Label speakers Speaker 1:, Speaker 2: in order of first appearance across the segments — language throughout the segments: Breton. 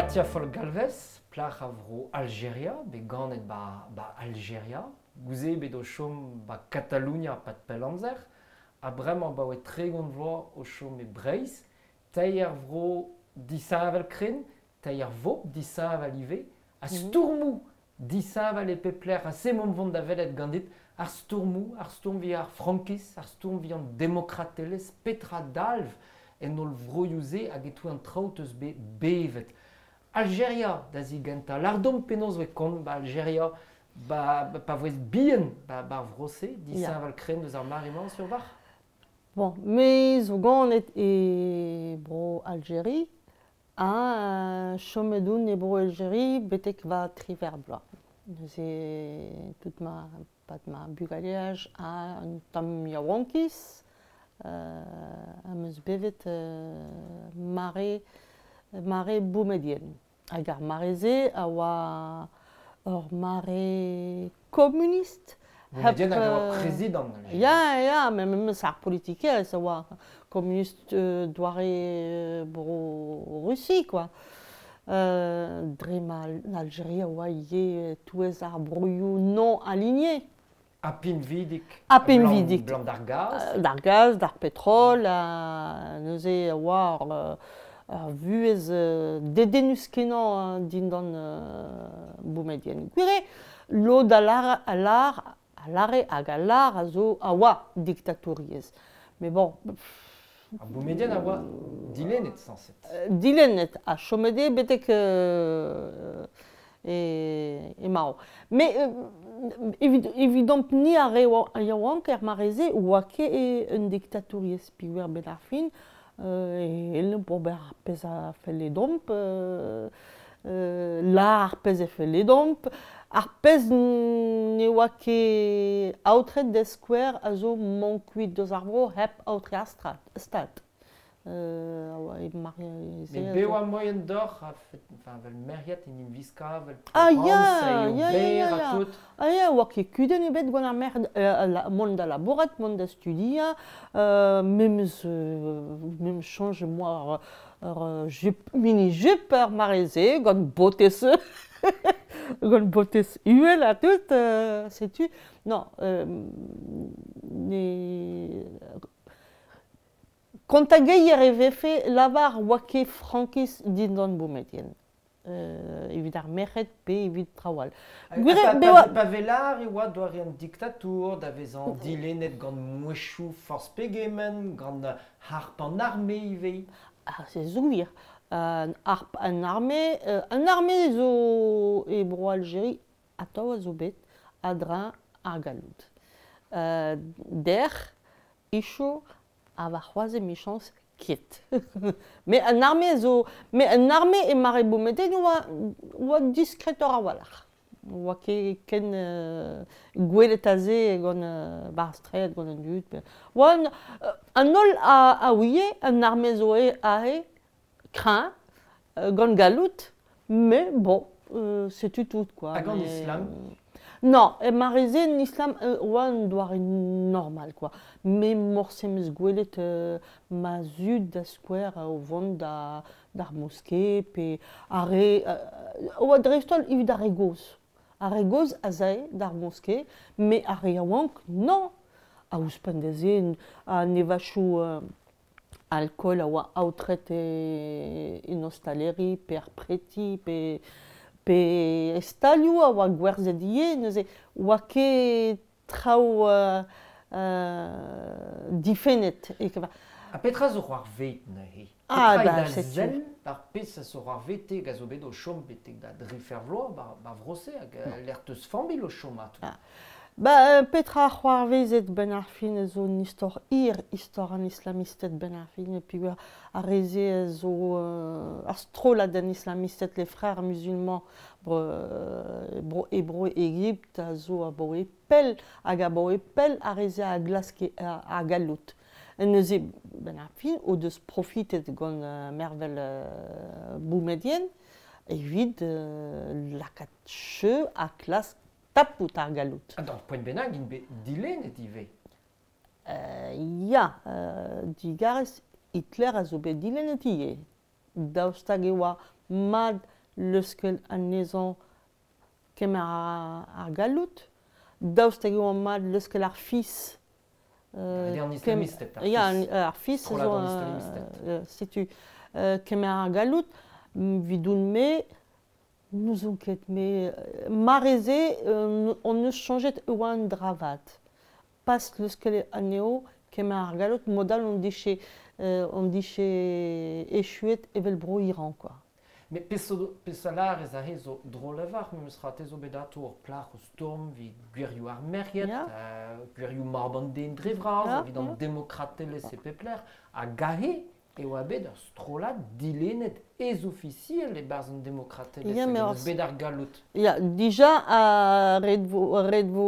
Speaker 1: Katia Foll-Galvez, plac'h a vro Aljeria, bet ganet 'ba 'ba Aljeria, goude bet o chom 'ba Katalonia 'pad pell amzer, ha bremañ abaoe 30 vloaz o chom e Breizh, teir vro disheñvel-krenn, teir vobl disheñvel ivez, ha stourmoù disheñvel e pep lec'h. Ha se 'maomp vont da welet ganit, ar stourmoù, ar stourm evit ar frankiz, ar stourm evit an demokratelezh, petra dalv en holl vroioù-se hag e-touez an traoù 'teus bet bevet. Aljeria da zigentañ. Lâr deomp penaos 'voe kont 'ba Aljeria 'ba pa voes bihan 'ba ar vro-se, disheñvel-krenn deus ar mare-mañ sur 'walc'h?
Speaker 2: Bon, me zo ganet e bro Aljeri ha chomet on e bro Aljeri betek va triwec'h bloaz. Neuze tout ma pad ma bugaleaj ha un tamm yaouankiz am eus bevet mare mare Boumediene. Hag ar mare-se a oa ur mare komunist.
Speaker 1: Boumediene hag a oa prezidant.
Speaker 2: Ya, ya, met memes ar politikerezh a oa komunist doare bro-Rusi, quoi. Dre ma Aljeria a oa ivez e-touez ar broioù non aligné.
Speaker 1: Ha pinvidik.
Speaker 2: Ha pinvidik.
Speaker 1: Blam d'ar gaz.
Speaker 2: D'ar gaz, d'ar petrol, ha neuze a oa ur vuhez dedennus-kenañ dindan Boumediene. Gwir eo, lod a lâr, a lâr, a lâre hag a lâr a zo a oa diktatouriezh. Mais bon,
Speaker 1: Ar Boumediene a oa dilennet sañset.
Speaker 2: Dilennet ha chomet eo betek e marv. Mais evit evidomp-ni ar re yaouank er mare-se oa ket un diktatouriezh peogwir 'benn ar fin e c'hellomp ober ar pezh a felle deomp, lâr ar pezh a felle deomp. Ar pezh ne oa ket aotret da skouer a zo mont kuit deus ar vro hep aotre ar stad.
Speaker 1: Met bev oa moaien deoc'h enfin, 'vel meriad en em wiskañ, 'vel
Speaker 2: Ah ya, ya, ya, ya. Ah ya, oa ket kudenn ebet gant ar merc'hed mont da labourat, mont da studiañ, memes memes soñj em boa ur jupe, mini-jupe er mare-se, gant botez gant botez uhel ha tout, setu. Non, ne Kontageier e vefe lavar oa ket frankiz dindan Boumediene evit ar merc'hed pe evit traoù all.
Speaker 1: Gwir eo pa, pa vez lâr e oa doare an diktatour da vezañ dilennet gant mouezhioù forzh pegement, gant harp an arme ivez.
Speaker 2: Ah, se zo gwir. Harp an arme, an arme zo e Bro-Aljeri atav a zo bet a-dreñv ar galloud. Dec'h, Icho ha warc'hoazh emichañs ket. Met an arme zo met an arme e mare Boumediene oa oa diskretoc'h a-walc'h. Oa ket ken gwelet aze gant 'ba ar straed gant an dud. Oa an holl a ouie an arme zo aze kreñv, gant galloud, mais bon, setu tout quoi.
Speaker 1: Hag an islam?
Speaker 2: Non, e mare-se an islam oa un doare normal quoi. Me morse 'm eus gwelet ma zud da skouer o vont da d'ar moske pe ar re oa dreist-holl evit ar re gozh. Ar re gozh az ae d'ar moske, met ar re yaouank non. Ha ouzhpenn da se an evachoù Alkool a oa aotret en ostaleri pe er preti pe pe e stalioù a oa gwerzhet ivez neuze 'oa ket traoù difennet e
Speaker 1: Ha petra zo c'hoarvezet neuze? Petra eo da sell ar pezh a zo c'hoarvezet hag a zo bet o chom betek da drifer vloaz 'ba vro-se hag lec'h 'teus familh o chom ha tout?
Speaker 2: Ba petra c'hoarvezet 'benn ar fin a zo un istor hir, istor an islamisted 'benn ar fin peogwir ar re-se a zo ar strollad an islamisted, les frères musulmans bro e bro Egipt a zo abaoe pell hag abaoe pell ar re-se a glaske ar galloud. Neuze 'benn ar fin o deus profitet gant mervel Boumediene evit lakaat cheu ha klask tapout ar galloud.
Speaker 1: Ha d'ur poent bennak int bet dilennet ivez.
Speaker 2: Ya, digarez Hitler a zo bet dilennet ivez. Daoust hag e oa mat Leuskel anezhañ kemer ar galloud, daoust hag e oa mat leuskel ar fis.
Speaker 1: An islamisted, ar
Speaker 2: Ya,
Speaker 1: fis.
Speaker 2: ar fis
Speaker 1: Strollad
Speaker 2: zo,
Speaker 1: an islamisted.
Speaker 2: Setu kemer ar galloud, 'vidoun-me, n'ouzon ket, me mareze on eus soñjet e oa un dra vat. Pas leuskel anezho kemer ar galloud, mod all on dije echuet evel bro Iran, quoi.
Speaker 1: Met peseurt lârez aze zo drol a-walc'h, memes tra te zo bet atao ur plac'h o stourm evit gwirioù ar merc'hed, gwirioù mab an den dre vras, evit an demokratelezh e pep lec'h, hag aze e oa bet ur strollad dilennet ez-ofisiel e-barzh an demokratelezh,
Speaker 2: Ya,
Speaker 1: hag
Speaker 2: met
Speaker 1: en deus bet ar galloud.
Speaker 2: Ya, dija ret vo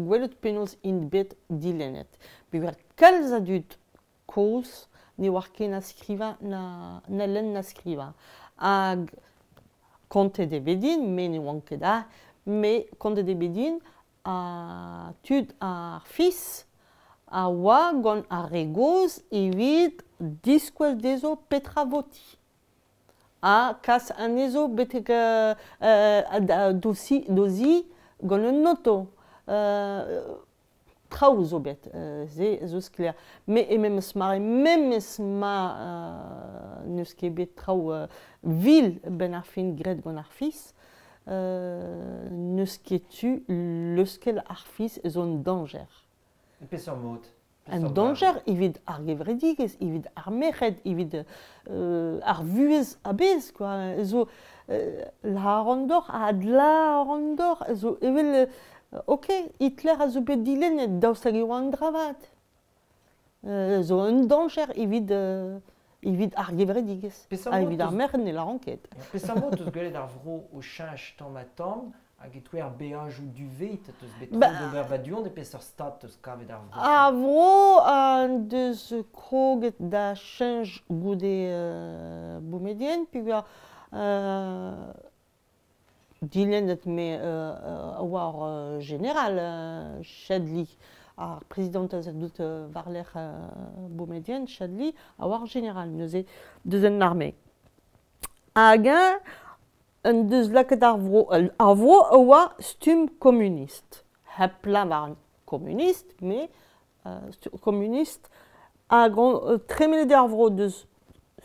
Speaker 2: gwelet penaos int bet dilennet. Peogwir kalz a dud kozh ne oar ket na skrivañ na lenn na skrivañ. Hag kontet eo bet din, me ne oan ket aze, met kontet eo bet din ha tud ar fis a oa gant ar re gozh evit diskouez dezho petra votiñ. Ha kas anezho betek d'o zi gant un oto. Traoù zo bet, se zo sklaer. Met e memes mare, memes ma n'eus ket bet traoù vil benn ar fin graet gant ar fis, n'eus ket tu leuskel ar fis zo un dañjer.
Speaker 1: Peseurt mod?
Speaker 2: Un dañjer evit ar gevredigezh, evit ar merc'hed, evit ar vuhez a-bezh, quoi. Zo lâran deoc'h, ha adlâran deoc'h, zo evel ok, Hitler a zo bet dilennet, daoust hag e oa un dra vat. Zo un dañjer evit ar gevredigezh. Ha evit ar merc'hed ne lâran ket.
Speaker 1: Peseurt mod 'teus gwelet ar vro o cheñch tamm-ha-tamm hag e-touez ar beajoù duvet 'teus bet tro d'ober ba du-hont e peseurt stad 'teus kavet ar vro?
Speaker 2: Ar vro en deus kroget da cheñch goude Boumedienne, peogwir dilennet me a oa ur jeneral Chadli, ar prezidant a deuet war-lerc'h Boumedienne, Chadli, a oa ur jeneral neuze deus an arme. Hag eñ en deus lakaet ar vro, ar vro a oa stumm komunist. Hep lavar komunist, met komunist hag tremenet eo ar vro deus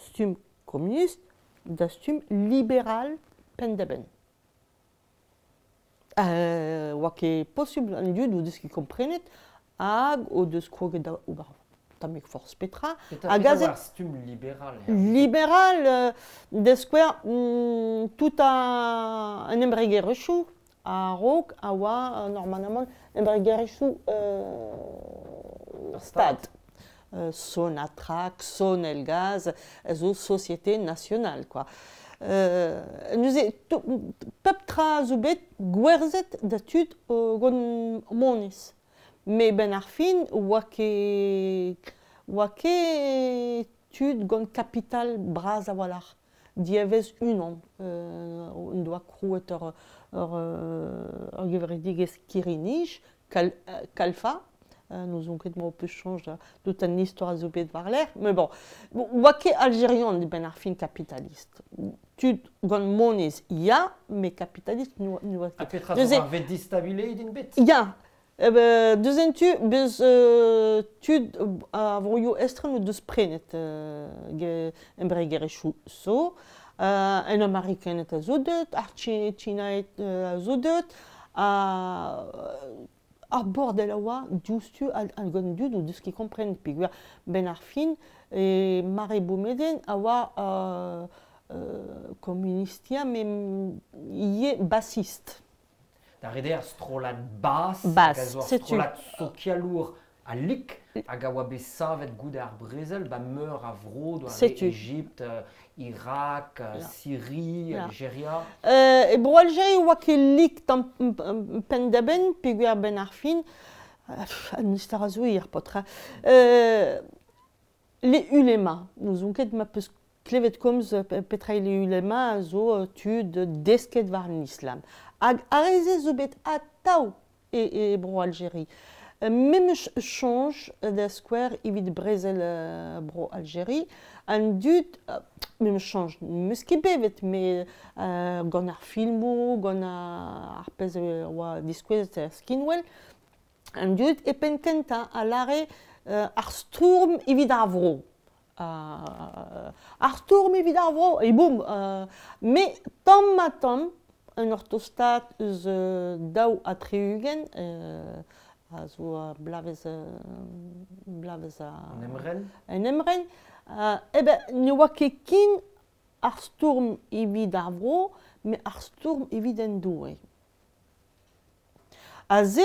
Speaker 2: stumm komunist da stumm liberal penn-da-benn. Oa ket posubl an dud o deus ket komprenet hag o deus kroget da ober tammig forzh petra.
Speaker 1: Hag aze ar stumm liberal.
Speaker 2: Liberal, da skouer, tout an embregerezhioù a-raok a oa normalement embregerezhioù stad. Sonatrach, Sonelgaz, zo société nationale, quoi. Neuze, pep tra zo bet gwerzhet da tud gant moneiz. Met benn ar fin oa ket tud gant kapital bras a-walc'h. Diavez unan en doa krouet ur gevredigezh kirri-nij, Kalfa. N'ouzon ket ma ho peus soñj tout an istor a zo bet war-lerc'h. Mais bon, oa ket Algerian benn ar fin kapitalist. Tud gant moneiz, ya, met kapitalist n'oa ket.
Speaker 1: Ha petra zo ar ved distabilet int bet?
Speaker 2: Ya, deus en tu, beus tud a vroioù estren o deus prenet embregerezhioù zo, en Amerikaned a zo deuet, ar Tchinaed a zo deuet, ar bordel a oa diouzhtu hag an dud o deus ket komprenet peogwir benn ar fin e mare Boumedienne a oa komunistia met ivez basist.
Speaker 1: Da ret eo ar strollad bas, hag a zo ar strollad sokialour ha lik, hag a oa bet savet goude ar brezel, ba meur a vro, doare Egipt, Irak, Syrie, Algeria.
Speaker 2: E bro Algeria oa ket lik tamm penn-da-benn, peogwir benn ar fin, an istor a zo hir, paotr. Les ulema, n'ouzon ket ma peus klevet komz petra eo les ulema a zo tud desket war an islam. Hag ar re-se zo bet atav e bro Algeria. Memes soñj da skouer evit brezel bro Aljeri, an dud, memes soñj, n'eus ket bevet, met gant ar filmoù, gant ar pezh a oa diskouezet er skinwel, an dud e penn kentañ a lâre ar stourm evit ar vro. Ar stourm evit ar vro, e boum! Met tamm-ha-tamm, un ur tostaat eus 62, a zo ar bloavezh bloavezh
Speaker 1: An emren?
Speaker 2: An emren, eh ben ne oa ket ken ar stourm evit ar vro, met ar stourm evit an Doue. Aze,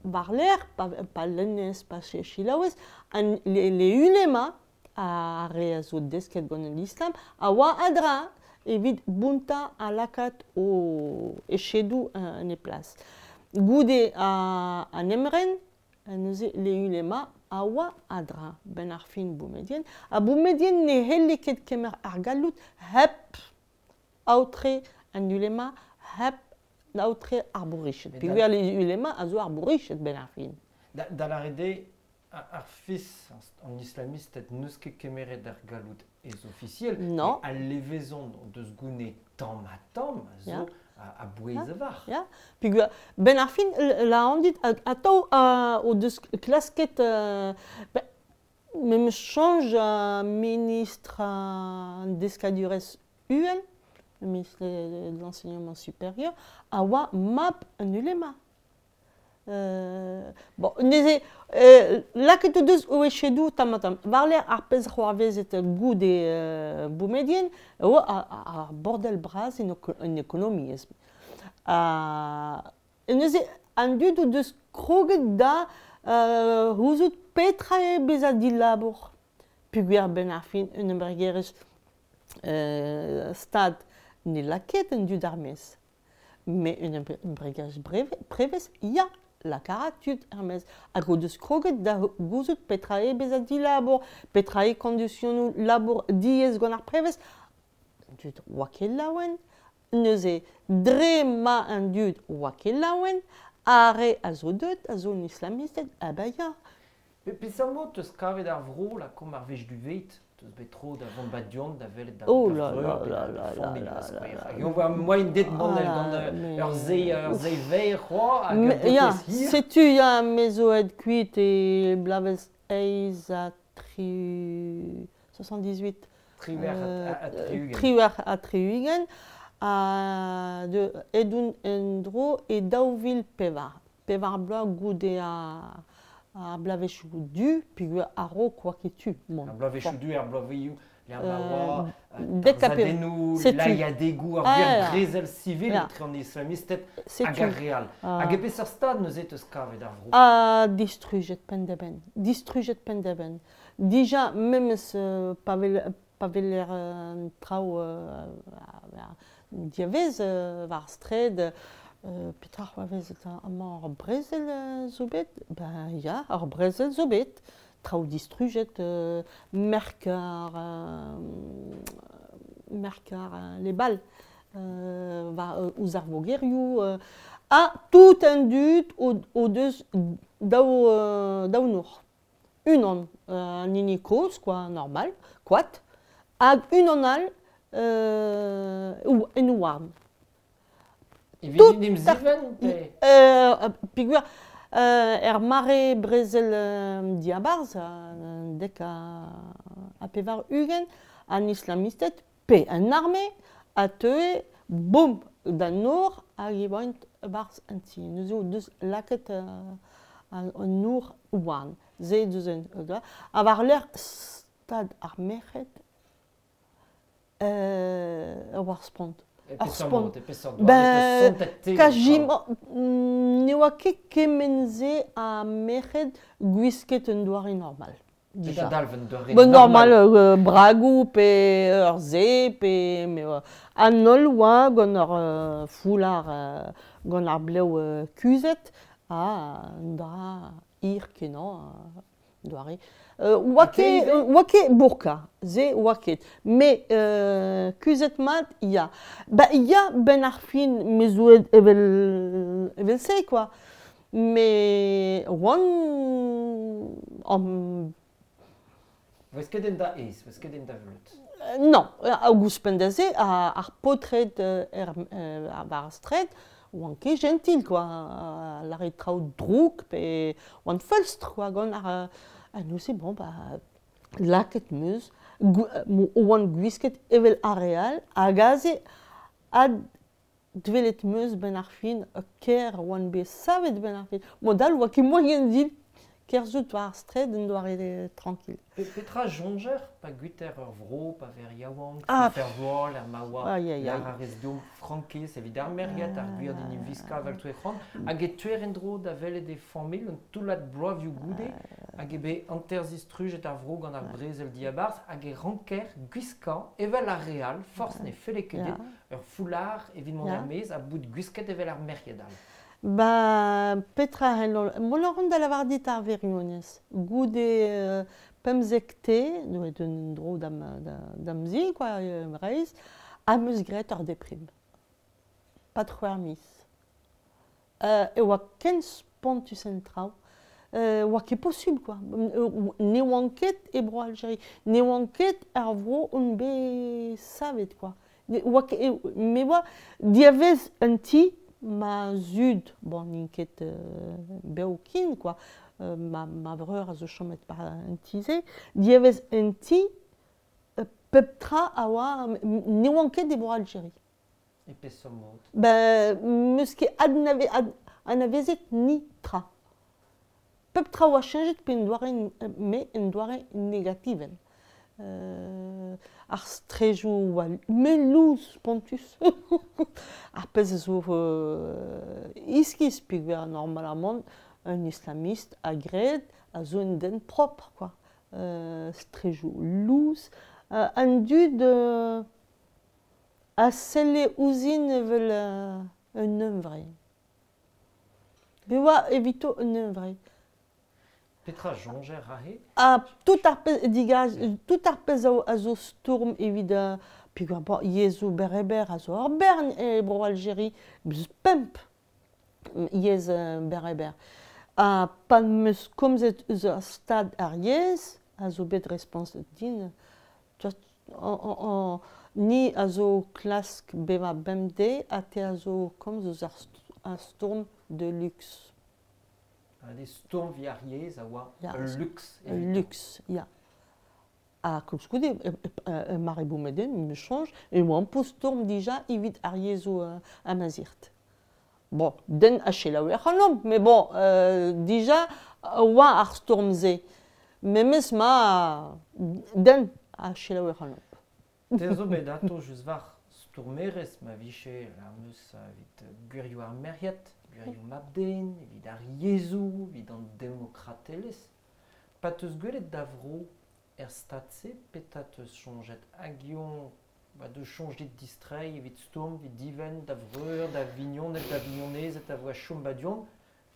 Speaker 2: war-lerc'h, pa lennez, pa selaouez, an le ulema, ar re a zo desket gant an islam, a oa a-dra evit bountañ ha lakaat o echedoù en e plas. Goude an emren, neuze le ulema a oa a-dra benn ar fin Boumedienne. Ha Boumedienne ne c'helle ket kemer ar galloud hep aotre an ulema, hep aotre ar bourriched. Peogwir le ulema a zo ar bourriched benn ar fin.
Speaker 1: Da lâret eo, ar fis, an islamisted n'eus ket kemeret ar galloud ez-ofisiel,
Speaker 2: Non.
Speaker 1: al levezon o deus gounez tamm-ha-tamm a zo a-bouez a-walc'h.
Speaker 2: Ya, peogwir benn ar fin, la an dit, atav o deus klasket memes soñj ministr an deskadurezh uhel, ministre de l'enseignement supérieur, a oa mab un ulema. Bon, neuze, lakaet o deus o echedoù tamm-ha-tamm. War-lerc'h ar pezh c'hoarvezet goude Boumedienne, e oa ar bordel bras en ekonomiezh. Neuze, an dud o deus kroget da gouzout petra eo bezañ dilabour. Peogwir benn ar fin un embregerezh stad ne lak ket an dud er-maez. Met un embregerezh prevez, ya, lakaat tud er-maez. Hag o deus kroget da gouzout petra eo bezañ dilabour, petra eo kondisionoù labour diaes gant ar prevez. An dud oa ket laouen. Neuze, dre ma an dud oa ket laouen, ar re a zo deuet, a zo an islamisted, ah ben ya.
Speaker 1: Peseurt mod 'teus kavet ar vro, lakaomp ar wech du vet? 'Teus bet tro da vont ba du-hont da welet da
Speaker 2: Oh
Speaker 1: da
Speaker 2: là
Speaker 1: vreur
Speaker 2: là
Speaker 1: pe
Speaker 2: là
Speaker 1: da
Speaker 2: là là
Speaker 1: familh
Speaker 2: là
Speaker 1: da
Speaker 2: là
Speaker 1: skouer.
Speaker 2: là
Speaker 1: Hag on voa moaien dit mont
Speaker 2: Ah,
Speaker 1: gant
Speaker 2: mais
Speaker 1: ur seiz verr c'hoazh hag ur
Speaker 2: Mais, ya,
Speaker 1: botez hir.
Speaker 2: setu ya, me zo aet kuit e bloavezh eizh ha tri 78.
Speaker 1: 78.
Speaker 2: 78, ha de edon en-dro e 2004. Pevar bloaz goude ar bloavezhioù du, peogwir a-raok oa ket tu mont.
Speaker 1: Ar bloavezhioù du, ar bloavezhioù lec'h ma oa
Speaker 2: dek ha
Speaker 1: tarzhadennoù,
Speaker 2: setu.
Speaker 1: lailhadegoù, ar
Speaker 2: Ah,
Speaker 1: gwir
Speaker 2: ya.
Speaker 1: brezel sivil
Speaker 2: Ya.
Speaker 1: etre an islamisted
Speaker 2: Setu.
Speaker 1: hag ar re all.
Speaker 2: Ah.
Speaker 1: Hag e peseurt stad neuze 'teus kavet ar vro?
Speaker 2: Ah, distrujet penn-da-benn. Distrujet penn-da-benn. Dija, memes pa weler an traoù diavez war ar straed, petra c'hoarvez eta amañ ar brezel zo bet? Ben ya, ar brezel zo bet. Traoù distrujet, merk ar les balles war ouzh ar vogerioù, ha tout an dud o deus daou nor. Unan, an hini kozh, quoi, normal, koad, hag unan all en houarn.
Speaker 1: Evit
Speaker 2: Tout
Speaker 1: en em zivenn, pe?
Speaker 2: Peogwir er mare brezel diabarzh, dek ha 80, an islamisted pe an arme a teue, boum, d'an nor hag e oant barzh an ti. Neuze o deus lakaet an nor houarn. Se deus un ha war-lerc'h stad ar merc'hed war spont.
Speaker 1: E
Speaker 2: Ar
Speaker 1: peseurt
Speaker 2: spont.
Speaker 1: mod, e peseurt doare,
Speaker 2: Ben,
Speaker 1: eus sontet te,
Speaker 2: Kajima, ne oa ket kement-se a merc'hed gwisket un doare normal.
Speaker 1: Petra
Speaker 2: Dija.
Speaker 1: dalv un doare
Speaker 2: Ben, normal,
Speaker 1: normal?
Speaker 2: bragoù pe ur se, pe me an holl oa gant ur foulard gant ar blev kuzhet, ha un dra hir kenañ doare. Oa
Speaker 1: Ha te
Speaker 2: ket,
Speaker 1: ivez?
Speaker 2: oa ket burka, se oa ket. Met kuzhet mat, ya. Ba ya, benn ar fin, me zo evel evel-se, quoi. Me oan am
Speaker 1: Vez ket en da aes, vez ket en da vleud.
Speaker 2: Non, hag ouzhpenn da se, ar paotred er, war ar straed, oant ket jentil, quoi. Lâret traoù drouk pe oant feulstr, quoi, gant ar... Ha neuze, bon, bah, lakaet 'm eus, oant gwisket evel ar re all, hag aze, adwelet 'm eus 'benn ar fin ker oan bet savet 'benn ar fin. Mod all 'oa ket moaien din kerzhout war ar straed en doare tranquille.
Speaker 1: Petra soñjer pa guiter ur vro, pa ver yaouank, ah, fer vloaz, er ma oa lar a rez deomp frankiz evit ar merc'hed, ar gwir d'in viskañ evel toe c'hoant, hag e teuer en-dro da welet e familh un toullad bloavioù goude, hag eo bet hanter-zistrujet ar vro gant ar brezel diabarzh, hag e ranker gwiskañ evel ar re all, forzh ne felle ket dit, ur foulard evit mont er-maez ha bout gwisket evel ar merc'hed all.
Speaker 2: Ba petra c'hello... Mont a ran da lavar dit ar wirionez. Goude 15 te, neuet un dro da'm, da'm zi, quoi, Breizh, am eus graet ur deprim. Pad c'hwec'h miz. E oa ken spontus en traoù. Oa ket posubl, quoi. Ne oan ket e Bro-Aljeria. Ne oan ket er vro on bet savet, quoi. Ne oa ket, me oa diavez un ti ma zud, bon, n'int ket bev ken, quoi, ma, ma vreur a zo chomet war an ti-se, diavez un ti, pep tra a oa, ne oan ket e Bro-Aljeria.
Speaker 1: E peseurt mod?
Speaker 2: Ben, 'meus ket anavezet ni tra. Pep tra oa cheñchet pe en doare, me en doare negativel. Ar strejoù oa mel-lous spontus. Ar pezh a zo iskis peogwir normalamant un islamist a gred a zo un den propr quoi. Strejoù lous. An dud a selle ouzhin evel un hunvre. Bet oa evito un hunvre.
Speaker 1: Petra soñjer aze?
Speaker 2: Ha tout ar pezh digas, tout ar pezh a zo stourm evit peogwir bon, yezhoù berr-e-berr a zo ur bern e Bro-Algeri, eus pemp yezh berr-e-berr. Ha pa 'm eus komzet eus ar stad ar yezh a zo bet respontet din, ni a zo klask bevañ bemdez ha te a zo komz eus ar stourm de luxe.
Speaker 1: An stourm evit ar yezh a oa ul luks.
Speaker 2: Ul luks, ya. Ha koulskoude, mare Boumediene, me soñj, e oamp o stourm dija evit ar yezhoù amazirt. Bon, den a selaoue ac'hanomp, mais bon, dija oa ar stourm-se. Memes ma den a selaoue ac'hanomp.
Speaker 1: Te zo bet ato just war stourmerez ma vije ar meus evit gwirioù ar merc'hed, gwirioù mab-den, evit ar yezhoù, evit an demokratelezh. Pa 'teus gwelet da vro er stad-se, petra 'teus soñjet? Hag eñ ba deus soñj dit distreiñ evit stourm, evit divenn da vreur, da vignoned, da vignonezed a voa chom ba du-hont,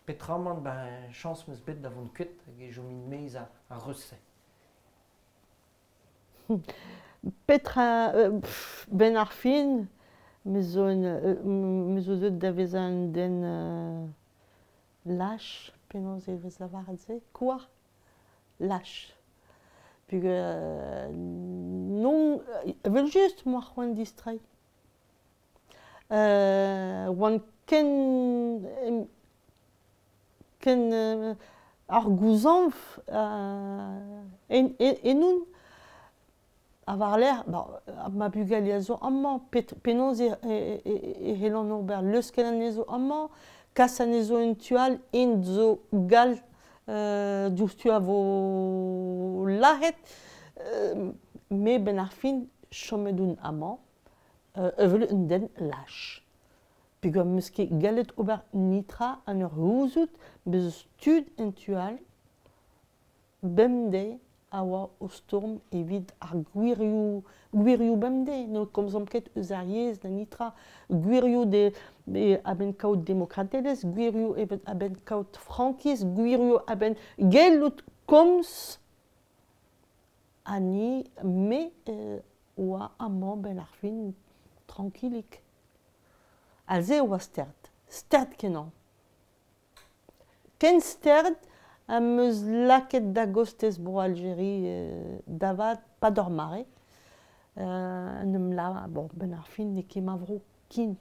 Speaker 1: petramant ben chañs 'm eus bet da vont kuit hag e chomin maez ar reuz-se.
Speaker 2: Petra, 'benn ar fin, me zo un, me zo deuet da vezañ un den lach, penaos e vez lavaret se? Quoi? Lach. Peogwir non, evel-just 'moa c'hoant distreiñ. Oan ken ken ar gouzañv ennon ha war-lerc'h ma bugale a zo amañ penaos e c'hellan ober leuskel anezho amañ, kas anezho en tu all, int zo gall diouzhtu a vo lazhet. Me 'benn ar fin chomet on amañ evel un den lach. Peogwir 'm eus ket gallet ober netra en ur gouzout bez' eus tud en tu all bemdez a oa o stourm evit ar gwirioù gwirioù bemdez. Ne komzomp ket eus ar yezh na netra. Gwirioù de, a-benn kaout demokratelezh, gwirioù a-benn kaout frankiz, gwirioù a-benn gellout komz. Ha ni, me oa amañ 'benn ar fin trankilik. Aze e oa stert, stert-kenañ. Ken sterd am eus lakaet da gostez bro Aljeri da vat pa d'ur mare. En em lava, bon, ben ar fin n'eo ket ma vro ken.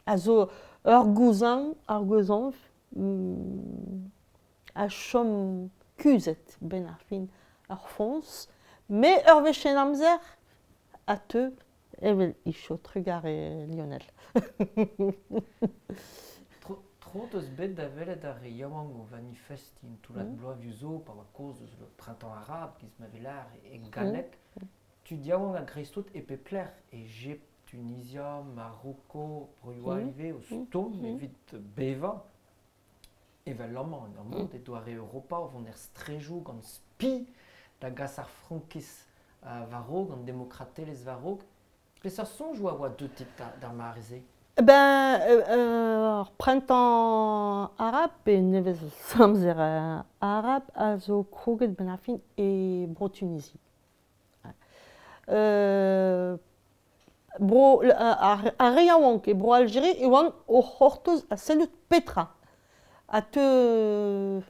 Speaker 2: A zo ur gouzañv, ar gouzañv a chom kuzhet ben ar fin ar foñs, met ur wech en amzer a teu evel icho trugarez Lionel.
Speaker 1: Tro deus bet da welet ar re yaouank o vanifestiñ un toullad bloavezhioù zo pa oa kaoz eus le printemps arabe giz ma vez lâr e galleg. Tud yaouank a-greiz-tout e pep lec'h, Egipt, Tunizia, Maroko, broioù all ivez o stourm evit bevañ. Evel amañ en ur mod e doare Europa o vont er strejoù gant spi da gas ar frankiz war-raok, an demokratelezh war-raok. Peseurt soñjoù a oa deuet d'ar mare-se?
Speaker 2: Ben, ar printemps arabe pe nevez amzer arab a zo kroget benn ar fin e Bro-Tunizi. Bro ar re yaouank e Bro-Aljeri e oant o c'hortoz ha sellout petra a teu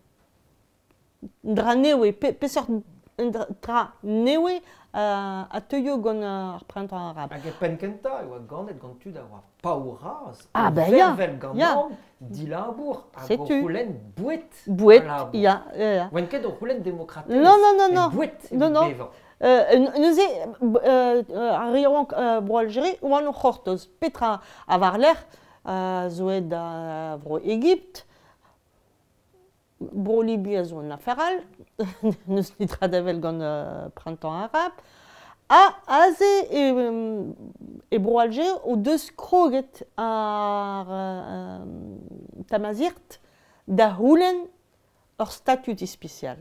Speaker 2: un dra nevez, peseurt un dra nevez a teuio gant ar printemps arabe.
Speaker 1: Hag e penn-kentañ e oa ganet gant tud a oa paour-razh, ah, ben ya, vervel gant ya. dilabour hag o c'houlenn boued.
Speaker 2: Boued, ya, ya.
Speaker 1: Oant ket o c'houlenn demokratelezh,
Speaker 2: non, non, non, non.
Speaker 1: Boued non, non. Bevañ.
Speaker 2: Neuze, ar re yaouank Bro-Aljeri oant o c'hortoz. Petra a war-lerc'h zo aet da Vro-Egipt, Bro-Libi a zo un afer all, n'eus netra da wel gant Printemps arabe. Ha aze e Bro-Aljer o deus kroget ar Tamazight da c'houlenn ur statud ispisial.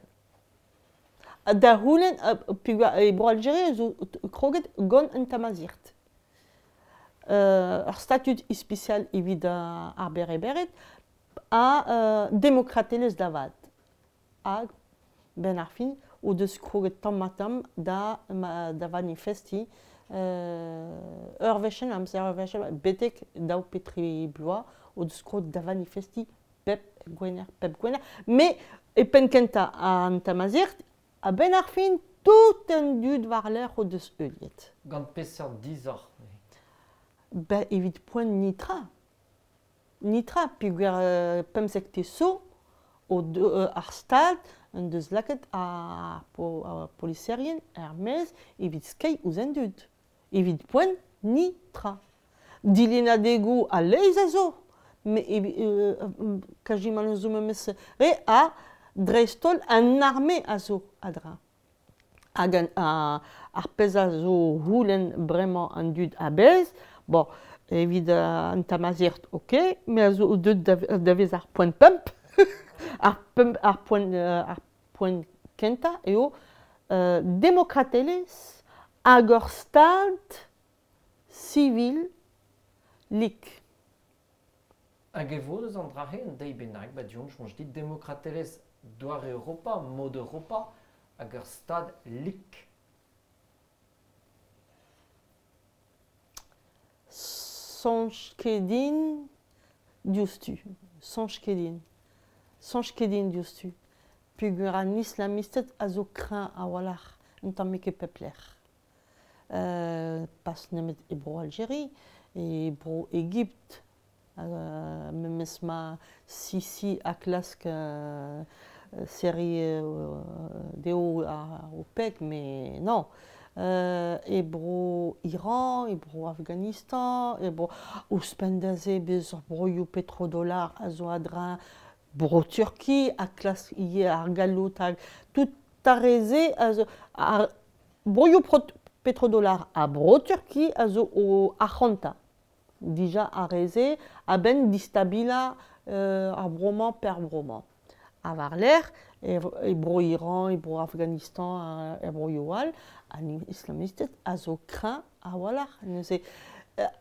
Speaker 2: Da c'houlenn, peogwir e Bro-Aljeri zo kroget gant an Tamazight. Ur statud ispisial evit ar Berebered ha demokratelezh da vat. Hag benn ar fin o deus kroget tamm-ha-tamm da manifestiñ ur wech en amzer, ur wech betek daou pe tri bloaz o deus kroget da vanifestiñ pep gwener, pep gwener. Met e penn-kentañ an Tamazight, a-benn ar fin, tout an dud war-lerc'h o deus heuliet.
Speaker 1: Gant peseurt disoc'h?
Speaker 2: Ben, evit poent netra. Netra, peogwir pemzektez zo ar Stad en deus lakaet ar poliserien er-maez evit skeiñ ouzh an dud. Evit poent, netra. Dilennadegoù a-leizh a zo, met kazimant zo memes re ha dreist-holl an arme a zo a-dreñv. Hag ar pezh a zo c'houlenn bremañ an dud a-bezh, bon, evit an Tamazight, ok, me a zo deuet da vezañ ar poent pemp. Ar poent kentañ eo demokratelezh hag ur stad sivil lik.
Speaker 1: Hag e vo eus an dra-se un deiz bennak, ba du-hont, soñj dit, demokratelezh doare Europa, mod Europa, hag ur stad lik.
Speaker 2: Soñj ket din diouzhtu. Soñj ket din. Soñj ket din diouzhtu. Peogwir an islamisted a zo kreñv a-walc'h un tammig e pep lec'h. Pas nemet e Bro-Aljeri, e Bro-Egipt, memes ma Sisi a klask serriñ dezho ar OPEC, mais non. E Bro-Iran, e Bro-Afghanistan, e Bro... Ouzhpenn da se bez ur broioù petrodollar a zo a-dreñv Bro-Turki a klask ivez ar galloud hag tout ar re-se a zo... Ar broioù petrodollar ha Bro-Turki a zo o arc'hantañ dija ar re-se a-benn distabilañ ar vro-mañ pe ar vro-mañ. Ha war-lerc'h e Bro-Iran, e Bro-Afghanistan, er broioù all, an islamisted a zo kreñv a-walc'h neuze.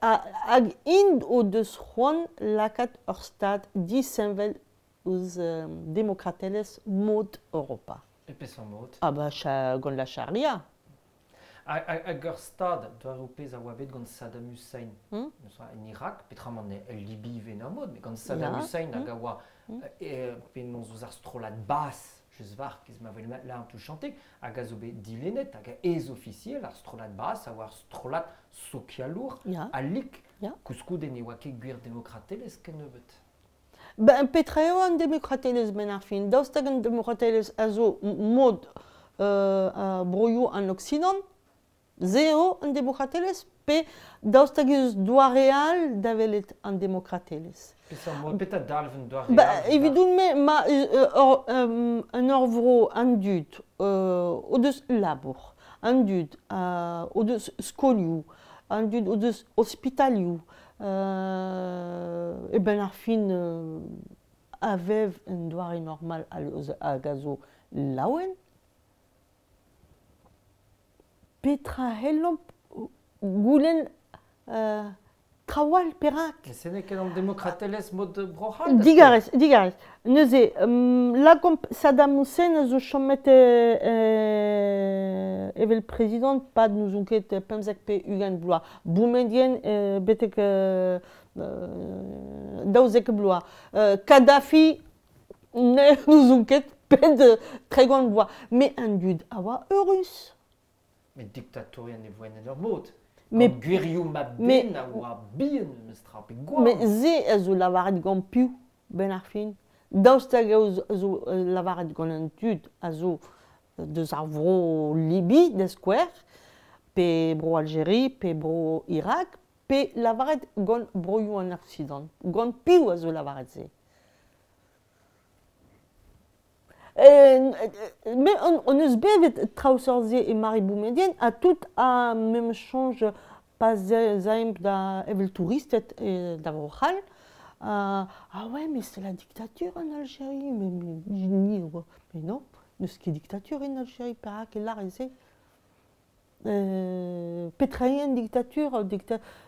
Speaker 2: Hag int o deus c'hoant lakaat ur stad disheñvel ouzh demokratelezh mod Europa.
Speaker 1: E peseurt mod?
Speaker 2: Ah bah, gant la charia.
Speaker 1: Hag ur stad, doare pezh a oa bet gant Saddam Hussein, en Irak, petramant el Libi ivez en ur mod, met gant Saddam Hussein hag a oa penaos ouzh ar strollad Baas, just war, kez ma vel là an touchantek, hag a zo bet dilennet, hag ez ofisiel ar strollad Baas a oa ar strollad sokialour ha lik, koulskoude ne oa ket gwir demokratelezh kennebeut.
Speaker 2: Ben, petra eo an demokratelezh benn ar fin? Daoust hag an demokratelezh a zo mod broioù an Oksidant? Se eo an demokratelezh pe daoust hag eus doare all da welet an demokratelezh?
Speaker 1: Petra dalv un doare all?
Speaker 2: Evidoun-me, ma en ur vro an dud o deus labour, an dud o deus skolioù, an dud o deus ospitalioù, e benn ar fin a vev un doare normal hag a zo laouen. Petra c'hellomp goulenn traoù all, perak?
Speaker 1: Se n'eo ket an demokratelezh mod Bro-C'hall?
Speaker 2: Digarez, digarez. Neuze, lakaomp Saddam Hussein a zo chomet evel prezidant pad n'ouzon ket 15 pe 20 vloaz. Boumedienne betek 12 vloaz. Kadhafi n'ouzon ket pet 30 vloaz. Met an dud a oa eurus.
Speaker 1: Met diktatourien e voent en ur mod. Met gwirioù mab-den a oa bihan memestra, pe gwan.
Speaker 2: Met se a zo lavaret gant piv, benn ar fin? Daoust hag a zo lavaret gant an dud a zo deus ar vro Libi, da skouer, pe bro Aljeri, pe bro Irak, pe lavaret gant broioù an Oksidant? Gant piv a zo lavaret se? Mais on eus bevet traoù seurt-se e Mari Boumedienne ha tout a memes soñj pa 'z aemp da evel touristed da Vro-C'hall. Ah ouais, mais c'est la dictature en Algérie. Mais, mais, mais non, n'eus ket dictature en Algérie, perak e lârez se? Petra eo an dictature?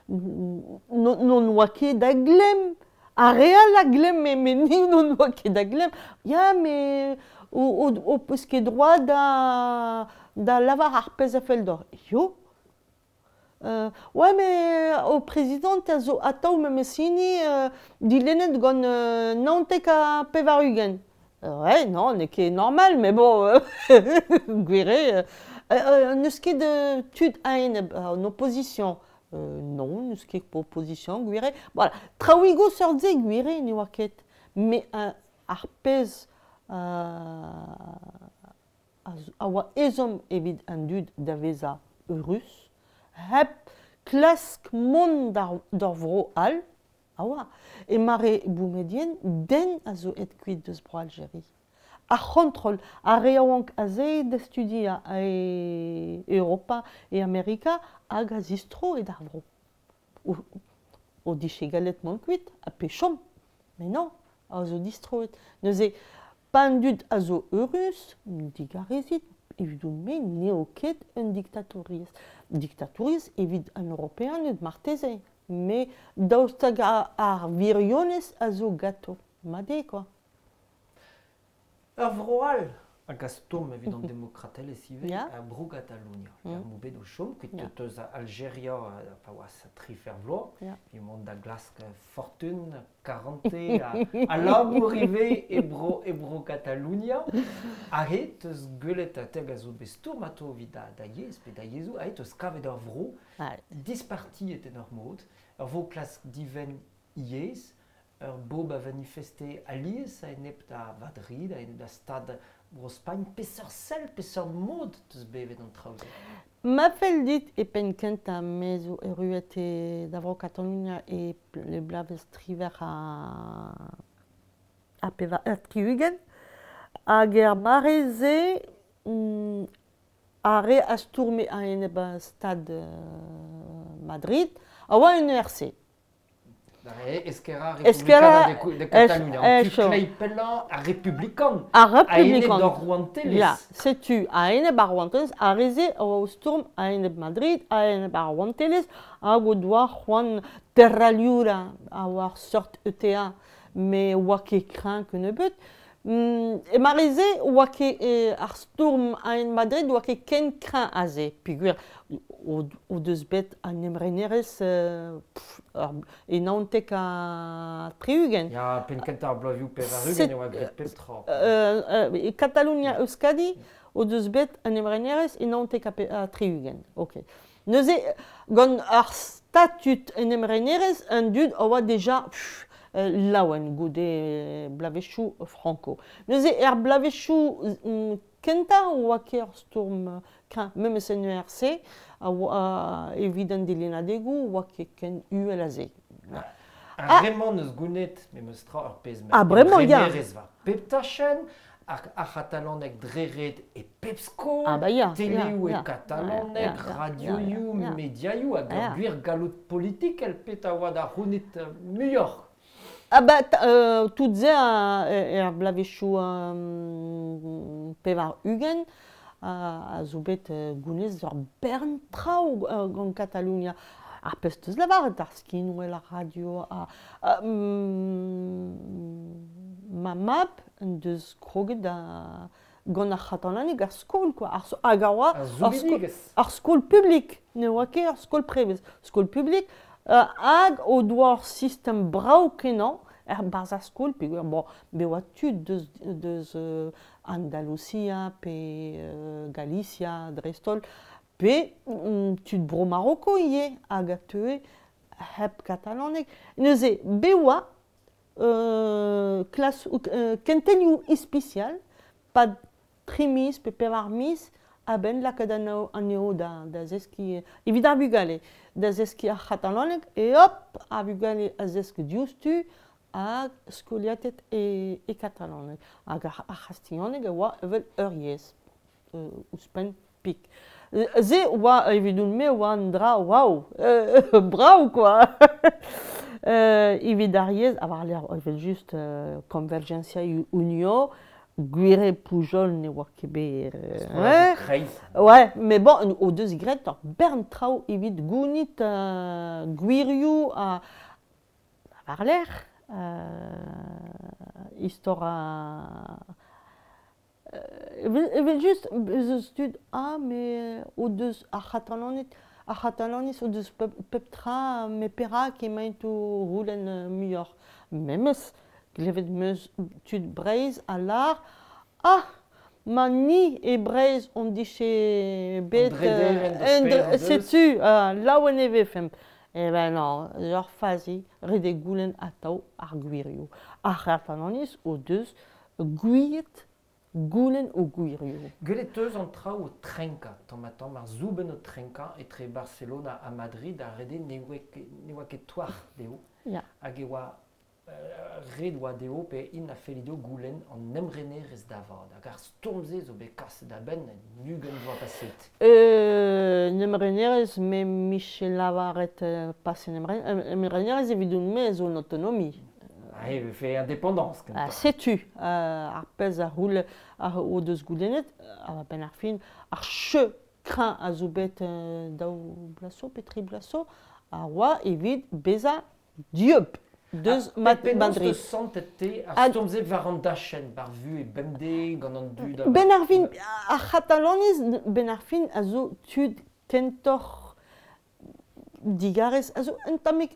Speaker 2: N'on oa ket da glemm. Ar re all a glemme, met ni n'on oa ket da glemm. Ya, met ho peus ket droad da lavar ar pezh a fell deoc'h. Yo. Ouais, mais ho prezidant a zo atav memes hini dilennet gant 99. Ouais, non, n'eo ket normal, mais bon, gwir eo. N'eus ket tud a-enep an opposition. Non, n'eus ket opposition, gwir eo. Voilà, traoùigoù seurt-se, gwir eo, ne oa ket. Mais ar pezh a oa ezhomm evit an dud da vezañ eurus, hep klask mont d'ur vro all, a oa. E mare Boumedienne, den a zo aet kuit deus Bro-Aljeri. Ar c'hontrol, ar re yaouank aze da studiañ e Europa, e Amerika, hag a zistro d'ar vro. O dije gallet mont kuit, ha pe chom. Mais non, a zo distroet. Neuze, pa an dud a zo eurus, digarezit, evidon-me n'eo ket un diktatouriezh. Diktatouriezh evit an Europeaned marteze, met daoust hag ar wirionez a zo ganto. Mat eo kwa.
Speaker 1: Ur vro all hag a stourm evit an demokratelezh ivez, Bro Gatalounia. Er m'o bet o chom, kuit eus Aljeria pa oa tri fer vloaz, emaon da glask fortun, karante ha labour ivez e bro Gatalounia. Aze teus gwelet te hag a zo bet stourm atao evit da yezh pe da yezhoù, aze teus kavet ur vro dispartiet en ur mod, ur vro klask divenn yezh, ur bob a vanifeste alies a-enep da Vadrid, a-enep da stad Bro-Spagn. Peseurt sell, peseurt mod teus bevet an traoù-se?
Speaker 2: Ma fell dit e penn-kentañ me zo erruet e da Vro-Katalonia e bloavezh triwec'h ha 64 hag er mare-se ar re a stourme a-enep stad Madrid a oa en ERC.
Speaker 1: Esquerra Republicana de Catalunya, an tu kleiz pellañ ar republikan,
Speaker 2: Ar republikan.
Speaker 1: A-enep d'ar rouantelezh.
Speaker 2: Ya, setu, a-enep ar rouantelezh, ar re-se a oa o stourm a-enep Madrid, a-enep ar rouantelezh, hag o doa c'hoant Terra Lliure a oa ur seurt ETA, met oa ket kreñv kennebeut. E mare-se oa ket ar stourm a-enep Madrid oa ket ken kreñv aze peogwir o deus bet an emrenerezh e 79.
Speaker 1: Ya, penn-kentañ ar bloavezhioù 80 e oa graet pep tra.
Speaker 2: E Katalonia Euskadi o deus bet an emrenerezh e 79. Ok. Neuze, gant ar statud en emrenerezh, an dud a oa deja laouen goude bloavezhioù Franco. Neuze, er bloavezhioù kentañ oa ket ur stourm kreñv, memes en ERC, a oa evit an dilennadegoù oa ket ken uhel a se.
Speaker 1: Ar re-mañ n'eus gounit memes tra ur pezh
Speaker 2: Ah, bremañ, ya.
Speaker 1: Emrenerezh war pep tachenn, ar c'hatalaneg dre ret e pep skol,
Speaker 2: ah bah ya,
Speaker 1: teleoù
Speaker 2: ya,
Speaker 1: e katalaneg,
Speaker 2: ya, ya,
Speaker 1: radioioù,
Speaker 2: ya, ya.
Speaker 1: mediaioù hag ur
Speaker 2: Ya.
Speaker 1: gwir galloud politikel pet a oa da c'hounit muioc'h.
Speaker 2: Ah bah, tout se er bloavezhioù 80 a zo bet gounez ur bern traoù gant Katalonia. Ar pezh teus lavaret, ar skinwel, ar radio, ma mab en deus kroget da gant ar c'hatalaneg ar skol, quoi. Hag a oa
Speaker 1: Ar soubidigezh.
Speaker 2: ar skol publik, ne oa ket ar skol prevez. Skol publik, hag o doa ur sistem brav-kenañ er barzh ar skol, peogwir bon, bet oa tud deus Andalusia pe Galicia dreist-holl, pe tud bro Maroko ivez hag a teue hep katalaneg. Neuze, bet oa klas, kentelioù ispisial, pad 3 miz pe 4 miz, a-benn lakaat anezho da zeskiñ, evit ar vugale, da zeskiñ ar c'hatalaneg, e hop, ar vugale a zesk diouzhtu hag skoliatet e katalaneg. Hag ar c'hastilhaneg a oa evel ur yezh, ouzhpenn pik. Se oa, evidoun-me, oa un dra, waouh, brav, quoi. Evit ar yezh, ha war-lerc'h, evel-just, Convergencia Unió, gwir eo Pujol ne oa ket bet...
Speaker 1: Strolladoù kreiz.
Speaker 2: Ouais, mais bon, o deus graet ur bern traoù evit gounit gwirioù ha war-lerc'h istor a... Evel-just, ez eus tud, ah, mais o deus ar C'hatalaniz o deus pep tra, met perak emaint o c'houlenn muioc'h. Memes, klevet 'm eus tud Breizh a lâr, ah, ma ni e Breizh hon dije bet...
Speaker 1: An drederenn da sper deus.
Speaker 2: Setu, laouen e vefemp. Eh ben non, ur fazi, ret eo goulenn atav ar gwirioù. Ar C'hatalaniz o deus gouiet goulenn o gwirioù.
Speaker 1: Gwelet eus an traoù o trenkañ, tamm-ha-tamm, ar soubenn o trenkañ etre Barcelona ha Madrid, ar re ne oa ket touarc'h dezho.
Speaker 2: Ya.
Speaker 1: Hag e oa ret oa dezho pe int a felle dezho goulenn an emrenerezh da vat. Hag ar stourm-se zo bet kaset a-benn en 20 vloaz paset.
Speaker 2: Un emrenerezh, me 'mije lavaret pas un emrenerezh evidoun-me zo un autonomie.
Speaker 1: Ah, e vefe indépendance
Speaker 2: Ah,
Speaker 1: kentoc'h.
Speaker 2: setu ar pezh a c'houl o deus goulennet, a-benn ar fin, ar cheu kreñv a zo bet 2 bloaz zo pe 3 bloaz zo, a oa evit bezañ dieub deus
Speaker 1: Penaos
Speaker 2: Madrid.
Speaker 1: teus santet te ar stourm-se war an dachenn, war vuhez bemdez, gant an dud
Speaker 2: Ben ar fin, ar C'hatalaniz, ben ar fin a zo tud kentoc'h digarez, a zo un tammig...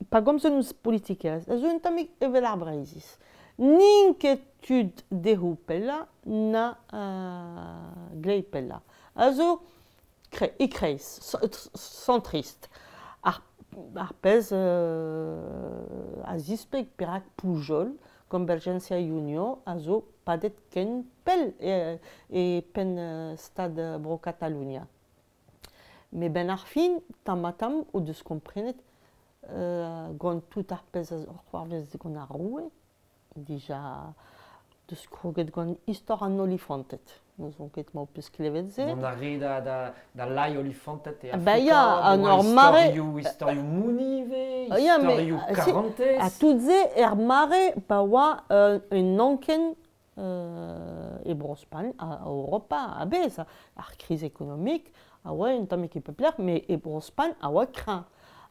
Speaker 2: pa gomzont eus politikerezh, a zo un tammig evel ar Breizhiz. N'int ket tud dezho pellañ na glei pellañ. A zo e-kreiz, centriste. Ar pezh a zispleg perak Pujol, Convergencia Unió, a zo padet ken pell e penn stad Bro-Katalonia. Met benn ar fin, tamm-ha-tamm, o deus komprenet gant tout ar pezh a c'hoarvez gant ar roue, dija deus kroget gant istor an olifanted. N'ouzon ket ma ho peus klevet se.
Speaker 1: Mont a re da lai olifanted e
Speaker 2: Ba
Speaker 1: Afrika,
Speaker 2: ya, an
Speaker 1: oa
Speaker 2: ur mare...
Speaker 1: istorioù mouni ivez,
Speaker 2: Ya, mais,
Speaker 1: istorioù karantez.
Speaker 2: Ha tout se er mare pa oa un anken e Bro-Spagn, a Europa a-bezh, ar kriz ekonomik a oa un tammig e pep lec'h, met e Bro-Spagn a oa kreñv.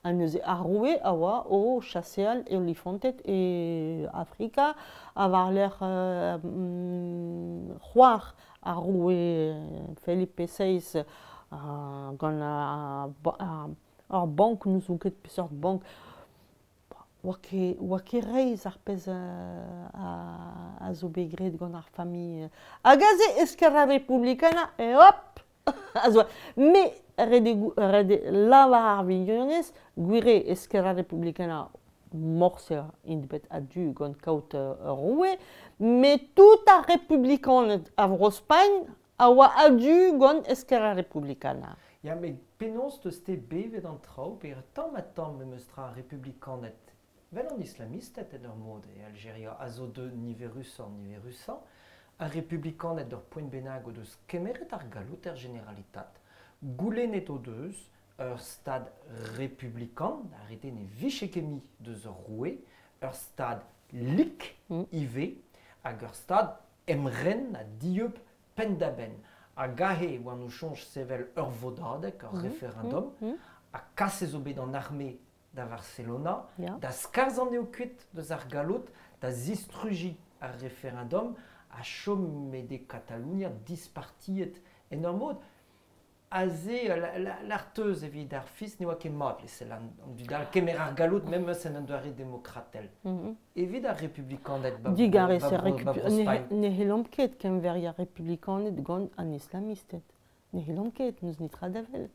Speaker 2: Ha neuze ar roue a oa o chaseal e olifanted e Afrika, ha war-lerc'h c'hoar ar roue Felipe VI gant ar bank, n'ouzon ket peseurt bank, oa ket reizh ar pezh a zo bet graet gant ar familh. Hag aze Esquerra Republicana, et hop! A zo, me ret eo lavar ar wirionez, gwir eo Esquerra Republicana morse int bet a-du gant kaout ur roue, met tout ar republikaned a Vro-Spagn a oa a-du gant Esquerra Republicana.
Speaker 1: Ya, met penaos 'teus-te bevet an traoù pe tamm-ha-tamm memes tra ar republikaned, 'vel an islamisted en ur mod e Aljeria, a zo deuet niverusoc'h-niverusañ, ar republikaned d'ur poent bennak o deus kemeret ar galloud er Generalitat, goulennet o deus ur stad republikan, ar re ne vije ket mui deus ur roue, ur stad lik ivez, hag ur stad emren ha dieub penn-da-benn. Hag aze e oan o soñj sevel ur vodadeg, ur referendum, ha kaset zo bet an arme da Varcelona, da skarzhañ anezho kuit deus ar galloud, da zistrujiñ ar referendum, ha chomet eo Katalonia dispartiet en ur mod. Aze, l'arteuz evit ar fis ne oa ket mat lezel an dud all kemer ar galloud memes en un doare demokratel. Evit ar republikaned ba
Speaker 2: Digarez,
Speaker 1: ba Bro-Spagn.
Speaker 2: Ne c'hellomp ket keñveriañ republikaned gant an islamisted. Ne c'hellomp ket, n'eus netra da wel.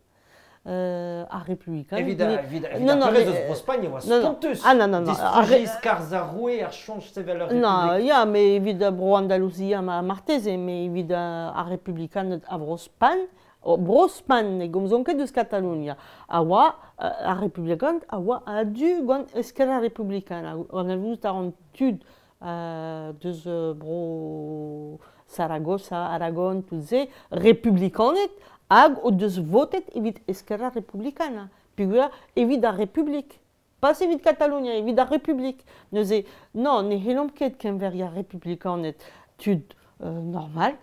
Speaker 2: Ar republikaned...
Speaker 1: Evit ar pezh eus Bro-Spagn e oa spontus.
Speaker 2: Ah non, non, non.
Speaker 1: Distrujiñ skarzh ar roue, ar soñj sevel ur republik.
Speaker 2: Non, ya, mais evit Bro-Andalouzia marteze, mais evit ar republikaned a Bro-Spagn, Bro-Spagn ne gomzont ket eus Katalonia, a oa ar republikaned a oa a-du gant Esquerra Republicana. Anavezout a ran tud deus Bro Saragossa, Aragon, tout se, republikaned hag o deus votet evit Esquerra Republicana, peogwir evit ar Republik. Pas evit Katalonia, evit ar Republik. Neuze, non, ne c'hellomp ket keñveriañ republikaned tud normal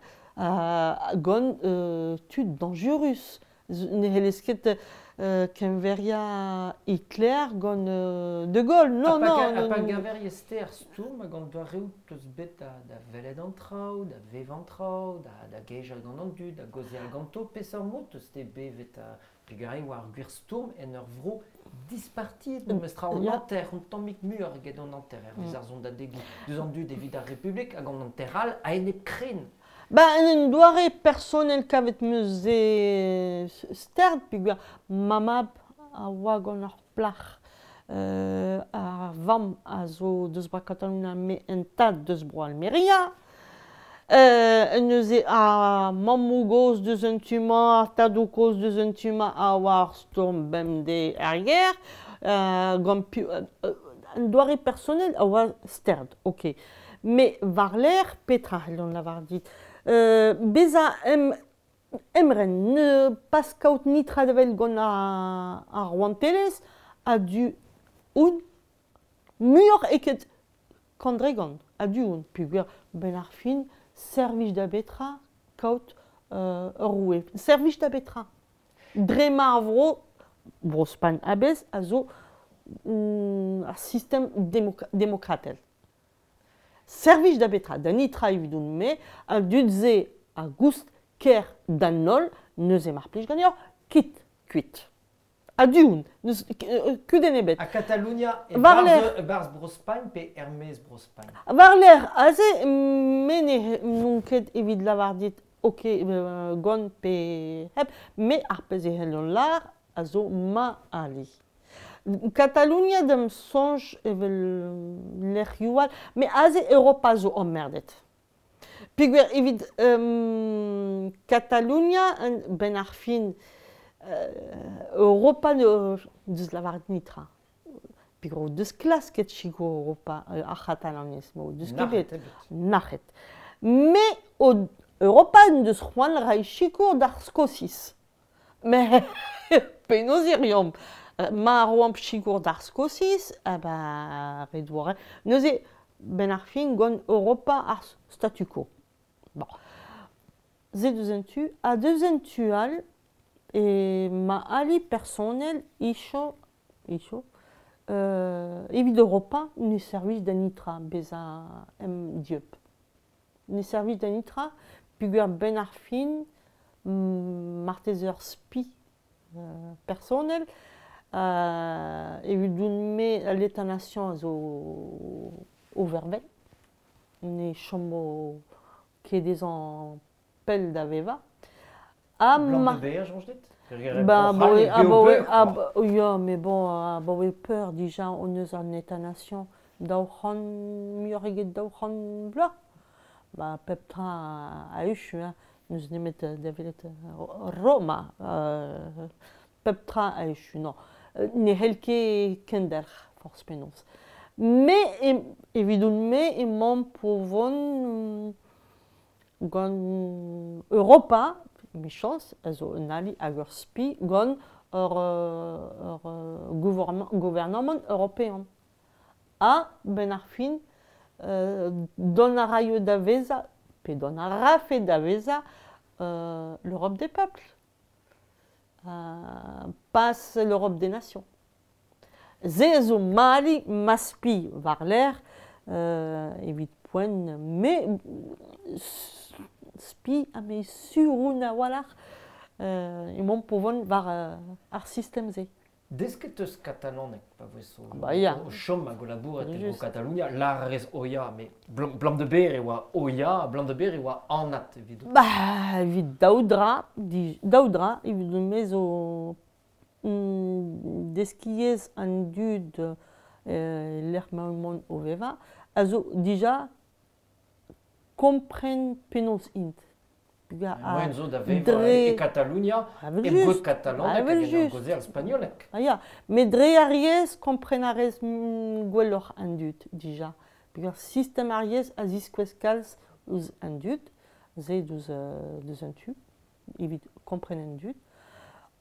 Speaker 2: gant tud dañjerus. Ne c'hellez ket keñveriañ Hitler gant De Gaulle. Non, non.
Speaker 1: Ha pa geñveriez-te ar stourm hag an doareoù 'teus bet da welet an traoù, da vevañ an traoù, da gejañ gant an dud, da gaozeal ganto, peseurt mod 'teus-te bevet peogwir e oa ar gwir stourm en ur vro dispartiet memes tra an hanter, un tammig muioc'h eget an hanter hervez ar sondadegoù deus an dud evit ar Republik hag an hanter all a-enep kren.
Speaker 2: Ba, en un doare personel kavet 'm eus se stert peogwir ma mab a oa gant ur plac'h ar vamm a zo deus Bro Katalonia met un tad deus Bro Almeria. Neuze ar mammoù-gozh deus un tu-mañ, ar tadoù-kozh deus un tu-mañ a oa ar stourm bemdez er gêr. Gant piv un doare personel a oa stert, ok. Met war-lerc'h, petra c'hellont lavar dit? Bezañ emren, ne pas kaout netra da wel gant ar rouantelezh a-du on muioc'h eget kandregant a-du on peogwir 'benn ar fin servij da betra kaout ur roue. Servij da betra? Dre ma ar vro, Bro-Spagn a-bezh, a zo ar sistem demokratel. Servij da betra? Da netra evidon-me, an dud-se a goust ker d'an holl, neuze mar plij ganeoc'h, kit kuit. A-du on, n'eus kudenn ebet.
Speaker 1: Ha Katalonia e-barzh Bro-Spagn pe er-maez Bro-Spagn?
Speaker 2: War-lerc'h aze, me n'on ket evit lavar dit ok gant pe hep, me ar pezh e c'hellont lâr a zo ma ali. Katalonia da'm soñj evel lec'hioù all, met aze Europa zo emmerdet. Peogwir evit Katalonia, 'benn ar fin, Europa deus lavaret netra. Peogwir o deus klasket sikour Europa ar c'hatalaniz, ma o deus ket bet. Nac'het. Met Europa en deus c'hoant reiñ sikour d'ar Skosiz. Met penaos e reomp? Ma roomp sikour d'ar Skosiz, ah ben ret 'vo Neuze, 'benn ar fin gant Europa ar statu quo. Bon. Se deus un tu. Ha deus un tu all, e ma ali personel icho icho. Evit Europa, ne servij da nitra bezañ em dieub. Ne servij da nitra, peogwir benn ar fin, marteze ur spi personel, evidon-me l'État-nation a zo o vervel, ne chomo ket dezhañ pell da vevañ. Ha
Speaker 1: Blam de beer, soñj dit?
Speaker 2: Ba,
Speaker 1: Bro-C'hall
Speaker 2: abaoe,
Speaker 1: eo bev
Speaker 2: abaoe,
Speaker 1: peur, quoi.
Speaker 2: Ya, mais bon, abaoe peur dija hon eus an État-nation 200, muioc'h eget 200 vloaz. Ba, pep tra a echu, hein. N'eus nemet da welet Roma. Pep tra a echu, non. Ne c'hell ket kendelc'h, forzh penaos. Me, evidon-me, emaomp o vont gant Europa, emichañs, a zo un ali hag ur spi gant ur gouarnamant european. Ha, benn ar fin, dont a raio da vezañ, pe dont a rafe da vezañ, l'Europe des peuples. Pas l'Europe des nations. Se a zo mali ma spi war-lerc'h evit poent me spi ha me sur on a-walc'h emaomp o vont war ar sistem-se.
Speaker 1: Desket eus katalaneg pa voes o,
Speaker 2: Bah ya.
Speaker 1: o chom hag o labourat e
Speaker 2: Just.
Speaker 1: Bro-Katalonia, lâr a rez oya, met blam de ber e oa oya, blam de ber e oa anat evidout.
Speaker 2: Bah, evit daou dra, daou dra, evidon-me zo deskiezh an dud lec'h ma emaon o vevañ, a zo dija kompren penaos int.
Speaker 1: Moaien zo da vevañ e Katalonia,
Speaker 2: Evel
Speaker 1: e
Speaker 2: just.
Speaker 1: bod katalaneg hag
Speaker 2: Evel
Speaker 1: en ur
Speaker 2: just.
Speaker 1: gaozeal spagnoleg.
Speaker 2: Ah ya, met dre ar yezh kompren a rez gwelloc'h an dud dija. Peogwir sistem ar yezh a ziskouez kalz ouzh an dud, se deus an tu, evit kompren an dud.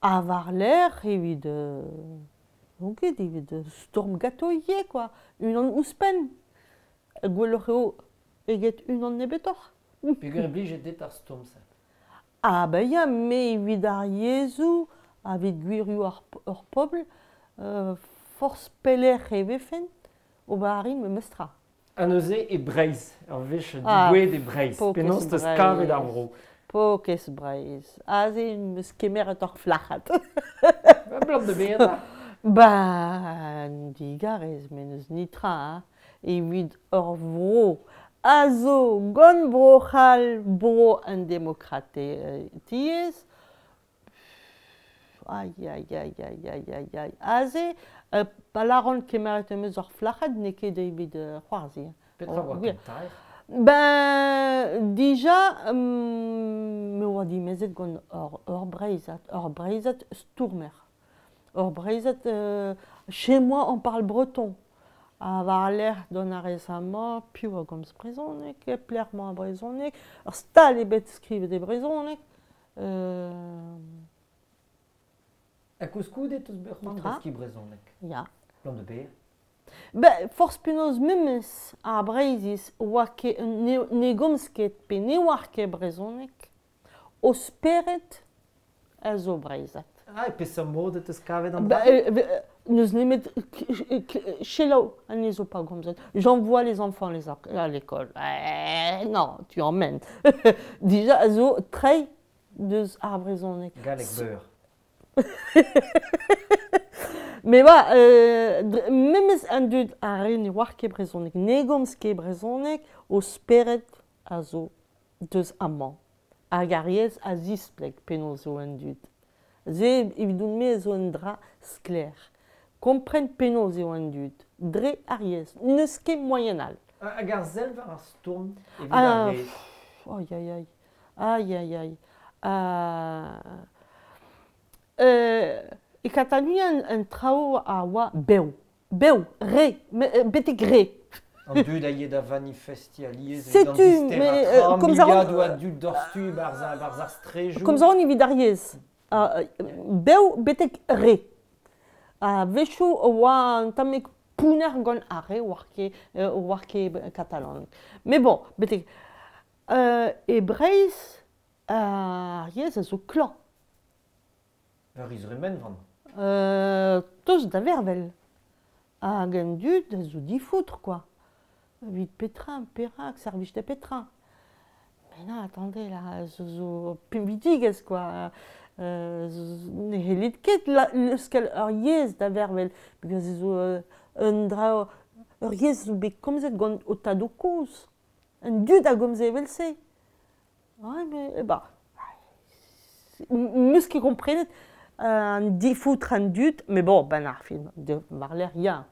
Speaker 2: Ha war-lerc'h evit n'on ket, evit stourm ganto ivez quoi, unan ouzhpenn. Gwelloc'h eo eget unan nebetoc'h.
Speaker 1: Peogwir e blije dit ar stourm-se.
Speaker 2: Ah ben ya, me evit ar yezhoù, evit gwirioù ur pobl, forzh pelec'h e vefen, ober a rin memes tra.
Speaker 1: Ha neuze e Breizh, ur wech
Speaker 2: Ah,
Speaker 1: degouezhet e Breizh,
Speaker 2: pokez
Speaker 1: penaos teus kavet ar
Speaker 2: Breizh.
Speaker 1: vro?
Speaker 2: Pokez Breizh. Aze em eus kemeret ur flac'had.
Speaker 1: Ba, blam da bezañ.
Speaker 2: Ba, digarez, met n'eus netra, hein. Evit ur vro a zo gant Bro-C'hall, bro an demokratiezh. Aïe, aïe, aïe, aïe, aïe, aïe, aïe. Aze, pa lâran kemeret em eus ur flac'had, n'eo ket evit c'hoarzhin.
Speaker 1: Petra oa
Speaker 2: gwir.
Speaker 1: kentaer?
Speaker 2: Ben, dija, me oa dimezet gant ur Breizhad, ur Breizhad stourmer. Ur Breizhad, chez moi on parle breton. Ha war-lerc'h dont a rez amañ, piv a gomz brezhoneg, pelec'h emañ ar brezhoneg, ur stal ebet skrivet e brezhoneg.
Speaker 1: Ha koulskoude teus bet c'hoant
Speaker 2: Petra?
Speaker 1: deskiñ brezhoneg?
Speaker 2: Ya.
Speaker 1: Blam de ber?
Speaker 2: Ben, forzh penaos memes ar Breizhiz oa ket ne gomz ket pe ne oar ket brezhoneg, o spered a zo breizhat.
Speaker 1: Ah, e peseurt mod e teus kavet an
Speaker 2: Ba,
Speaker 1: dra?
Speaker 2: N'eus nemet selaou anezho pa gomzet. J'envoie les enfants à l'école. Non, tu emmènes. Dija a zo treiñ deus ar brezhoneg.
Speaker 1: Galleg beur.
Speaker 2: Mais voilà, memes an dud a re ne oar ket brezhoneg, ne gomz ket brezhoneg, o spered a zo deus amañ. Hag ar yezh a zispleg penaos zo an dud. Se evidon-me a zo un dra sklaer. Kompren penaos eo an dud, dre ar yezh. N'eus ket moaien all.
Speaker 1: Hag ar sell war ar stourm evit
Speaker 2: Ah,
Speaker 1: ar yezh.
Speaker 2: Aïe, aïe, aïe. Aïe, aïe, aïe. E Katalonia an traoù a oa bev. Bev, re, betek re.
Speaker 1: An dud a ye da manifestiñ alies evit an
Speaker 2: Setu,
Speaker 1: disterañ
Speaker 2: mais,
Speaker 1: tra,
Speaker 2: komz a ran-
Speaker 1: miliadoù a dud doc'htu barzh ar strejoù.
Speaker 2: Komz a ran evit ar yezh. Bev betek re. A-wechoù oa un tammig pounner gant ar re oar ket katalan. Mais bon, betek e Breizh, ar yezh a zo klañv.
Speaker 1: Ur izremenvan.
Speaker 2: Tost da vervel. Hag an dud a zo difoutr kwa. Evit petra, perak, servij da petra. Mais non, attendez, là, zo zo pinvidigezh kwa. Ne c'hellit ket leuskel ur yezh da vervel, peogwir zo un dra, ur yezh zo bet komzet gant ho tadoù-kozh. An dud a gomze evel-se. Ouais, mais bah, 'meus ket komprenet an difoutr an dud, mais bon, ben ar fin, war-lerc'h ya,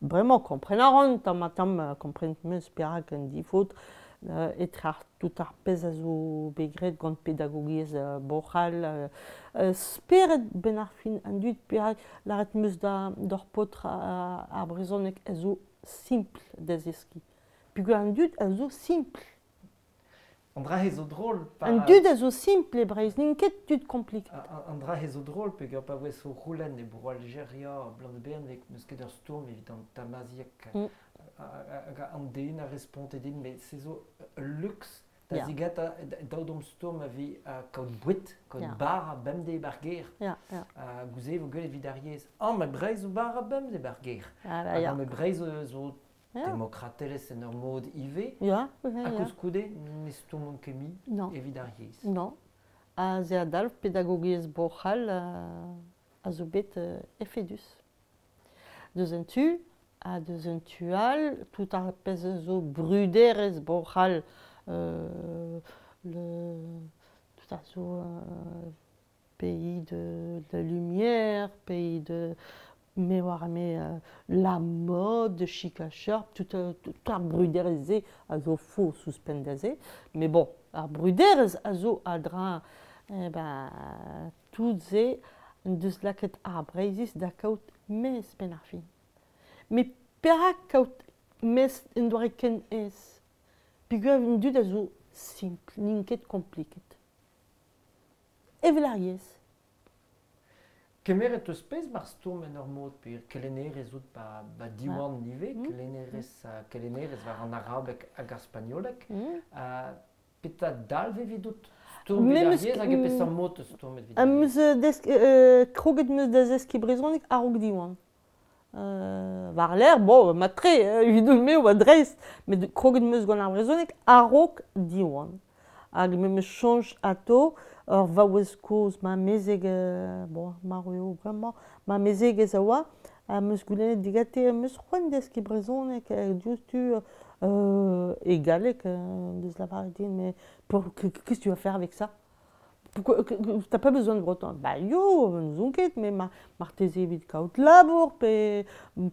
Speaker 2: bremañ kompren a ran tamm-ha-tamm, kompren 'meus perak an difoutr etre ar tout ar pezh a zo bet graet gant pedagogiezh Bro-C'hall, spered 'benn ar fin an dud perak lâret 'meus da d'ur paotr ar brezhoneg a zo simpl da zeskiñ. Peogwir an dud a zo simpl.
Speaker 1: An dra-se zo drol pa...
Speaker 2: An dud a zo simpl e Breizh, n'int ket tud kompliket.
Speaker 1: An dra-se zo drol peogwir pa voes o c'houlenn e Bro-Aljeria bloaz n'eus ket ur stourm evit an tamazieg. Hag an den a responte din, met se zo ul luks da zigata daou dom stourm a vi kaout boued, kaout bara bemdez bar gêr. Gouze vo gwelet evit ar yezh. Ah, met Breizh zo bara bemdez bar gêr. Ah, met Breizh zo demokratelezh en ur mod ivez.
Speaker 2: Ya,
Speaker 1: ha koulskoude ne stourmont ket mui evit ar yezh.
Speaker 2: Non. Ha se a dalv pedagogiezh Bro-C'hall a zo bet efedus. Deus un tu, ha deus un tu all, tout ar pezh a zo bruderezh Bro-C'hall, le, tout a zo pays de lumière, pays de me oar me la mode, chic ha sharp, tout, tout ar bruderezh-se a zo faos ouzhpenn da se. Mais bon, ar bruderezh a zo a-dreñv eh ben, tout se en deus lakaet ar Breizhiz da kaout mezh 'benn ar fin. Met perak kaout mezh en doare ken aes? Peogwir an dud a zo simpl, n'int ket kompliket. Evel ar yezh.
Speaker 1: Kemeret eus pezh mar stourm en ur mod pe kelennerez out ba Diwan ivez, kelennerez war an arabeg hag ar spagnoleg. Petra dalv evidout stourm evit ar yezh hag e peseurt mod eus stourm evit ar yezh?
Speaker 2: Kroget 'm eus da zeskiñ brezhoneg a-raok Diwan. War-lerc'h, bon, mat-tre, evidon-me oa dreist, met kroget 'm eus gant ar brezhoneg a-raok Diwan. Hag me 'meus soñj atao ur vaouez kozh, ma mezeg, bon, marv eo bremañ, ma mezegez a oa, am eus goulennet digante am eus c'hoant deskiñ brezhoneg diouzhtu e galleg, deus lavaret din, mais qu'est-ce que tu vas faire avec ça? Pourquoi t'as pas besoin de breton? Bah yo, n'ouzon ket, mais marteze evit kaout labour pe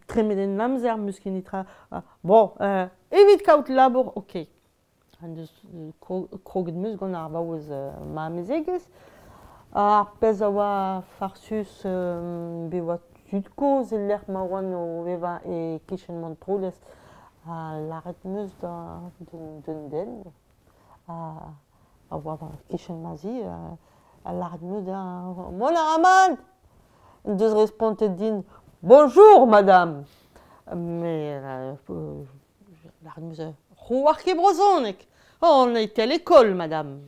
Speaker 2: tremen en amzer 'meus ket netra. Bon, evit kaout labour, ok. En deus kroget 'meus gant ar vaouez ma amezegez. Ar pezh a oa farsus bet oa tud-kozh e-lec'h ma oan o vevañ e-kichen Montroulez ha lâret 'meus d'un den a oa e-kichen ma zi ha lâret 'meus dezhañ mont a ra mat! En deus respontet din bonjour madame! Mais lâret 'meus c'hoar ket brezhoneg! Oh, on a été à l'école madame!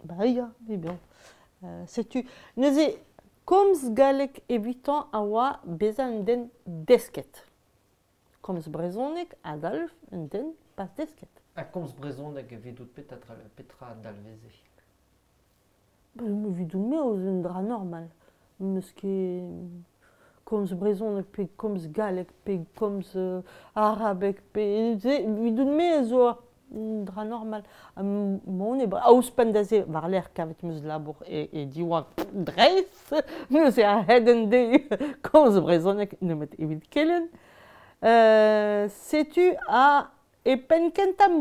Speaker 2: Bah ya, mais bon. Setu neuze komz galleg evitañ a oa bezañ un den desket. Komz brezhoneg a dalv un den pas desket.
Speaker 1: Ha komz brezhoneg evidout petra dalveze?
Speaker 2: Evidout-me eo un dra normal. N'eus ket komz brezhoneg pe komz galleg pe komz arabeg pe evidout-me zo un dra normal. Mont e ouzhpenn da se war-lerc'h kavet 'm eus labour e Diwan dreist, neuze a-hed an deiz komz brezhoneg nemet evit kelenn. Setu ha e penn kentañ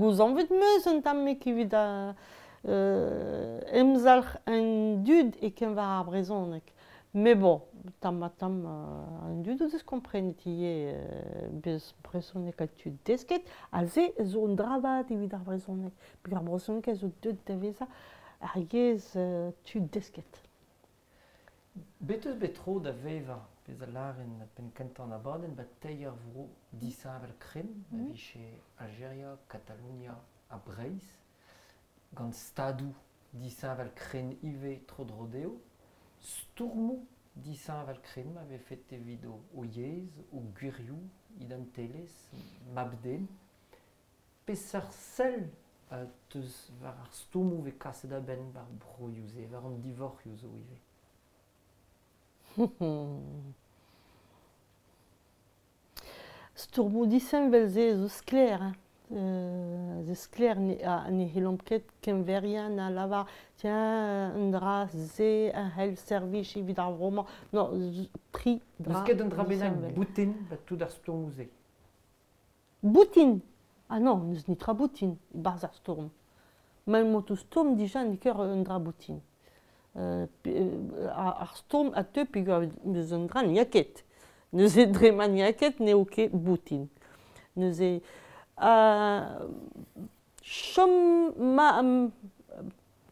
Speaker 2: gouzañvet 'm eus un tammig evit emzalc'h an dud e-keñver ar brezhoneg. Mais bon, tamm-ha-tamm an dud o deus komprenet ivez bez brezhoneg ha tud desket, ha se zo un dra vat evit ar brezhoneg. Peogwir ar brezhoneg a zo deuet da vezañ ar yezh tud desket.
Speaker 1: Bet eus bet tro da vevañ, pezh a lâren penn-kentañ an abadenn, ba teir vro disheñvel-krenn, a vije Aljeria, Katalonia ha Breizh, gant stadoù disheñvel-krenn ivez tro-dro dezho. Stourmoù disheñvel-krenn ma vefet evit o yezh, o gwirioù, identelezh, mab-den. Peseurt sell teus war ar stourmoù vez kaset a-benn war broioù-se, war an divorc'hioù zo ivez?
Speaker 2: Stourmoù disheñvel-se zo sklaer hein. Zo sklaer ne c'hellomp ket keñveriañ na lavar tiens un dra-se a c'hell servij evit ar vro-mañ. Non, tri dra
Speaker 1: N'eus ket un dra bennak boutin ba tout ar stourmoù-se?
Speaker 2: Boutin? Ah non, n'eus netra boutin e-barzh ar stourm. Ma emañ o stourm dija n'eo ket un dra boutin. Ar stourm a teu peogwir n'eus un dra n'y a ket. Neuze dre ma n'y a ket n'eo ket boutin. Neuze chom ma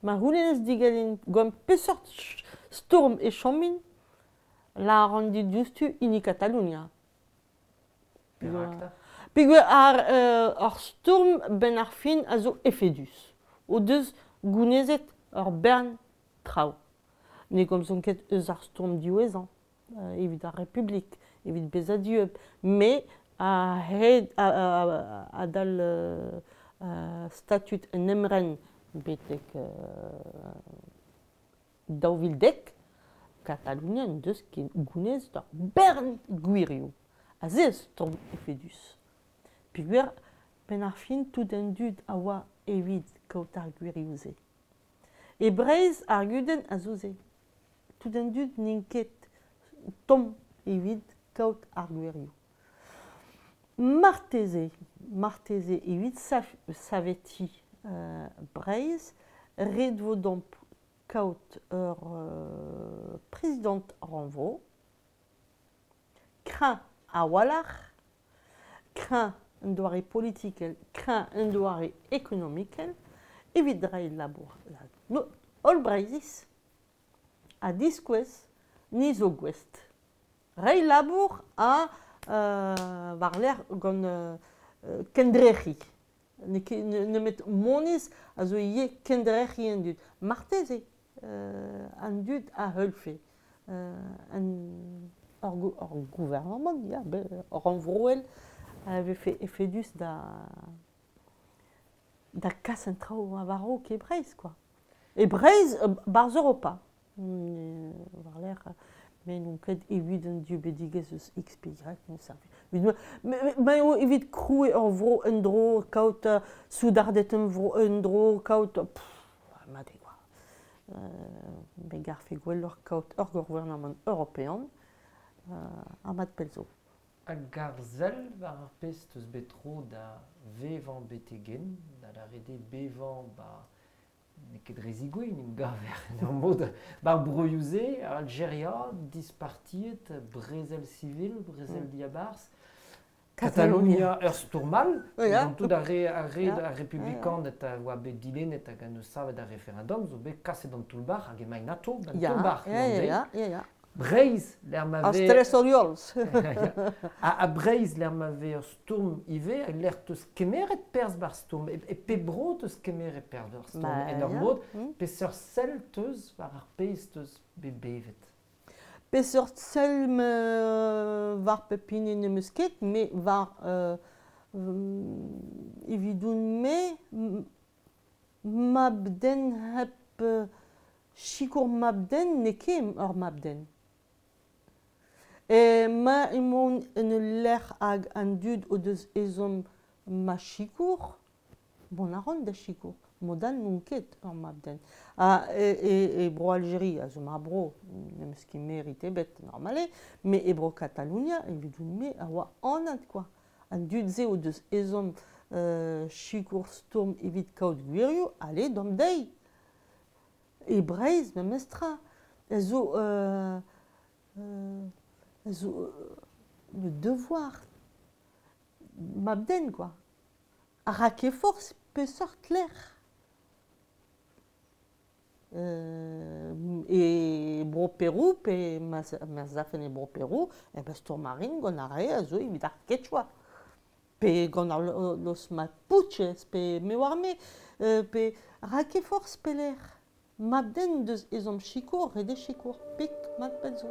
Speaker 2: ma c'houlennez diganin gant peseurt stourm e chomin, lâran dit diouzhtu hini Katalonia.
Speaker 1: Perak 'ta?
Speaker 2: Peogwir ar stourm 'benn ar fin a zo efedus. O deus gounezet ur bern traoù. Ne gomzont ket eus ar stourm diwezhañ evit ar Republik, evit bezañ dieub, met a-hed adal statud un emren betek 2010, Katalonia en deus ket gounezet ur bern gwirioù. Ha se stourm efedus. Peogwir 'benn ar fin tout an dud a oa evit kaout ar gwirioù-se. E Breizh ar gudenn a zo se. Tout an dud n'int ket tomm evit kaout ar gwirioù. Marteze, marteze evit savetiñ Breizh, ret vo deomp kaout ur prezidant rannvro, kreñv a-walc'h, kreñv un doare politikel, kreñv un doare ekonomikel, evit reiñ labour holl Breizhiz ha diskouez ni zo gouest. Reiñ labour ha war-lerc'h gant kendrec'hiñ. N'eo ket nemet moneiz a zo ivez kendrec'hiñ an dud. Marteze an dud a heulfe ur gouarnamant ya, rannvroel a vefe efedus da kas an traoù war-raok e Breizh kwa. E Breizh, 'barzh Europa. War-lerc'h me n'on ket evit an dieubidigezh eus XPY, ma eo evit krouiñ ur vro en-dro, kaout soudarded en-dro, kaout mat eo kwa. Me garfe gwelloc'h kaout ur gouarnamant european ha mat pell zo.
Speaker 1: Hag ar sell war ar pezh 'teus bet tro da vevañ betek-henn, da lâret eo bevañ 'ba n'eo ket dre zigouezh en em gaver en ur mod 'bar broioù-se, Aljeria, dispartiet, brezel sivil, brezel diabarzh, Katalonia ur stourm all, gant tout ar re, ar re ar republikaned a oa bet dilennet hag a neus savet ar referendum zo bet kaset d'an toull-bac'h hag emaint atô d'an toull-bac'h. Breizh, lec'h ma
Speaker 2: vez... Ar stress
Speaker 1: Ha Breizh, lec'h ma vez ur stourm ivez, lec'h 'teus kemeret perzh 'bar stourm. E pep bro 'teus kemeret perzh 'bar stourm, en ur mod. Peseurt sell 'teus war ar pezh 'teus bet bevet?
Speaker 2: Peseurt sell war pep hini n'em eus ket, met war evidoun-me, mab-den hep sikour mab-den n'eo ket ur mab-den. Ma emaon en ul lec'h hag an dud o deus ezhomm ma sikour, mont a ran da sikour. Mod all n'on ket ur mab-den. Ha e Bro-Aljeria a zo ma bro, n'em eus ket merit ebet normal eo, met e Bro-Katalonia, evidoun-me, a oa anat kwa. An dud-se o deus ezhomm sikour stourm evit kaout gwirioù, allez, deomp dezhi! E Breizh memestra a zo a zo le devoir mab-den kwa. A ra ket forzh peseurt lec'h. E Bro-Perou pe ma 'z afen e Bro-Perou, eh ben stourm a rin gant ar re a zo evit ar quechua. Pe gant ar los Mapuches pe me oar-me, pe ra ket forzh pelec'h. Mab-den deus ezhomm sikour, ret eo sikour. Pik, mat pell zo.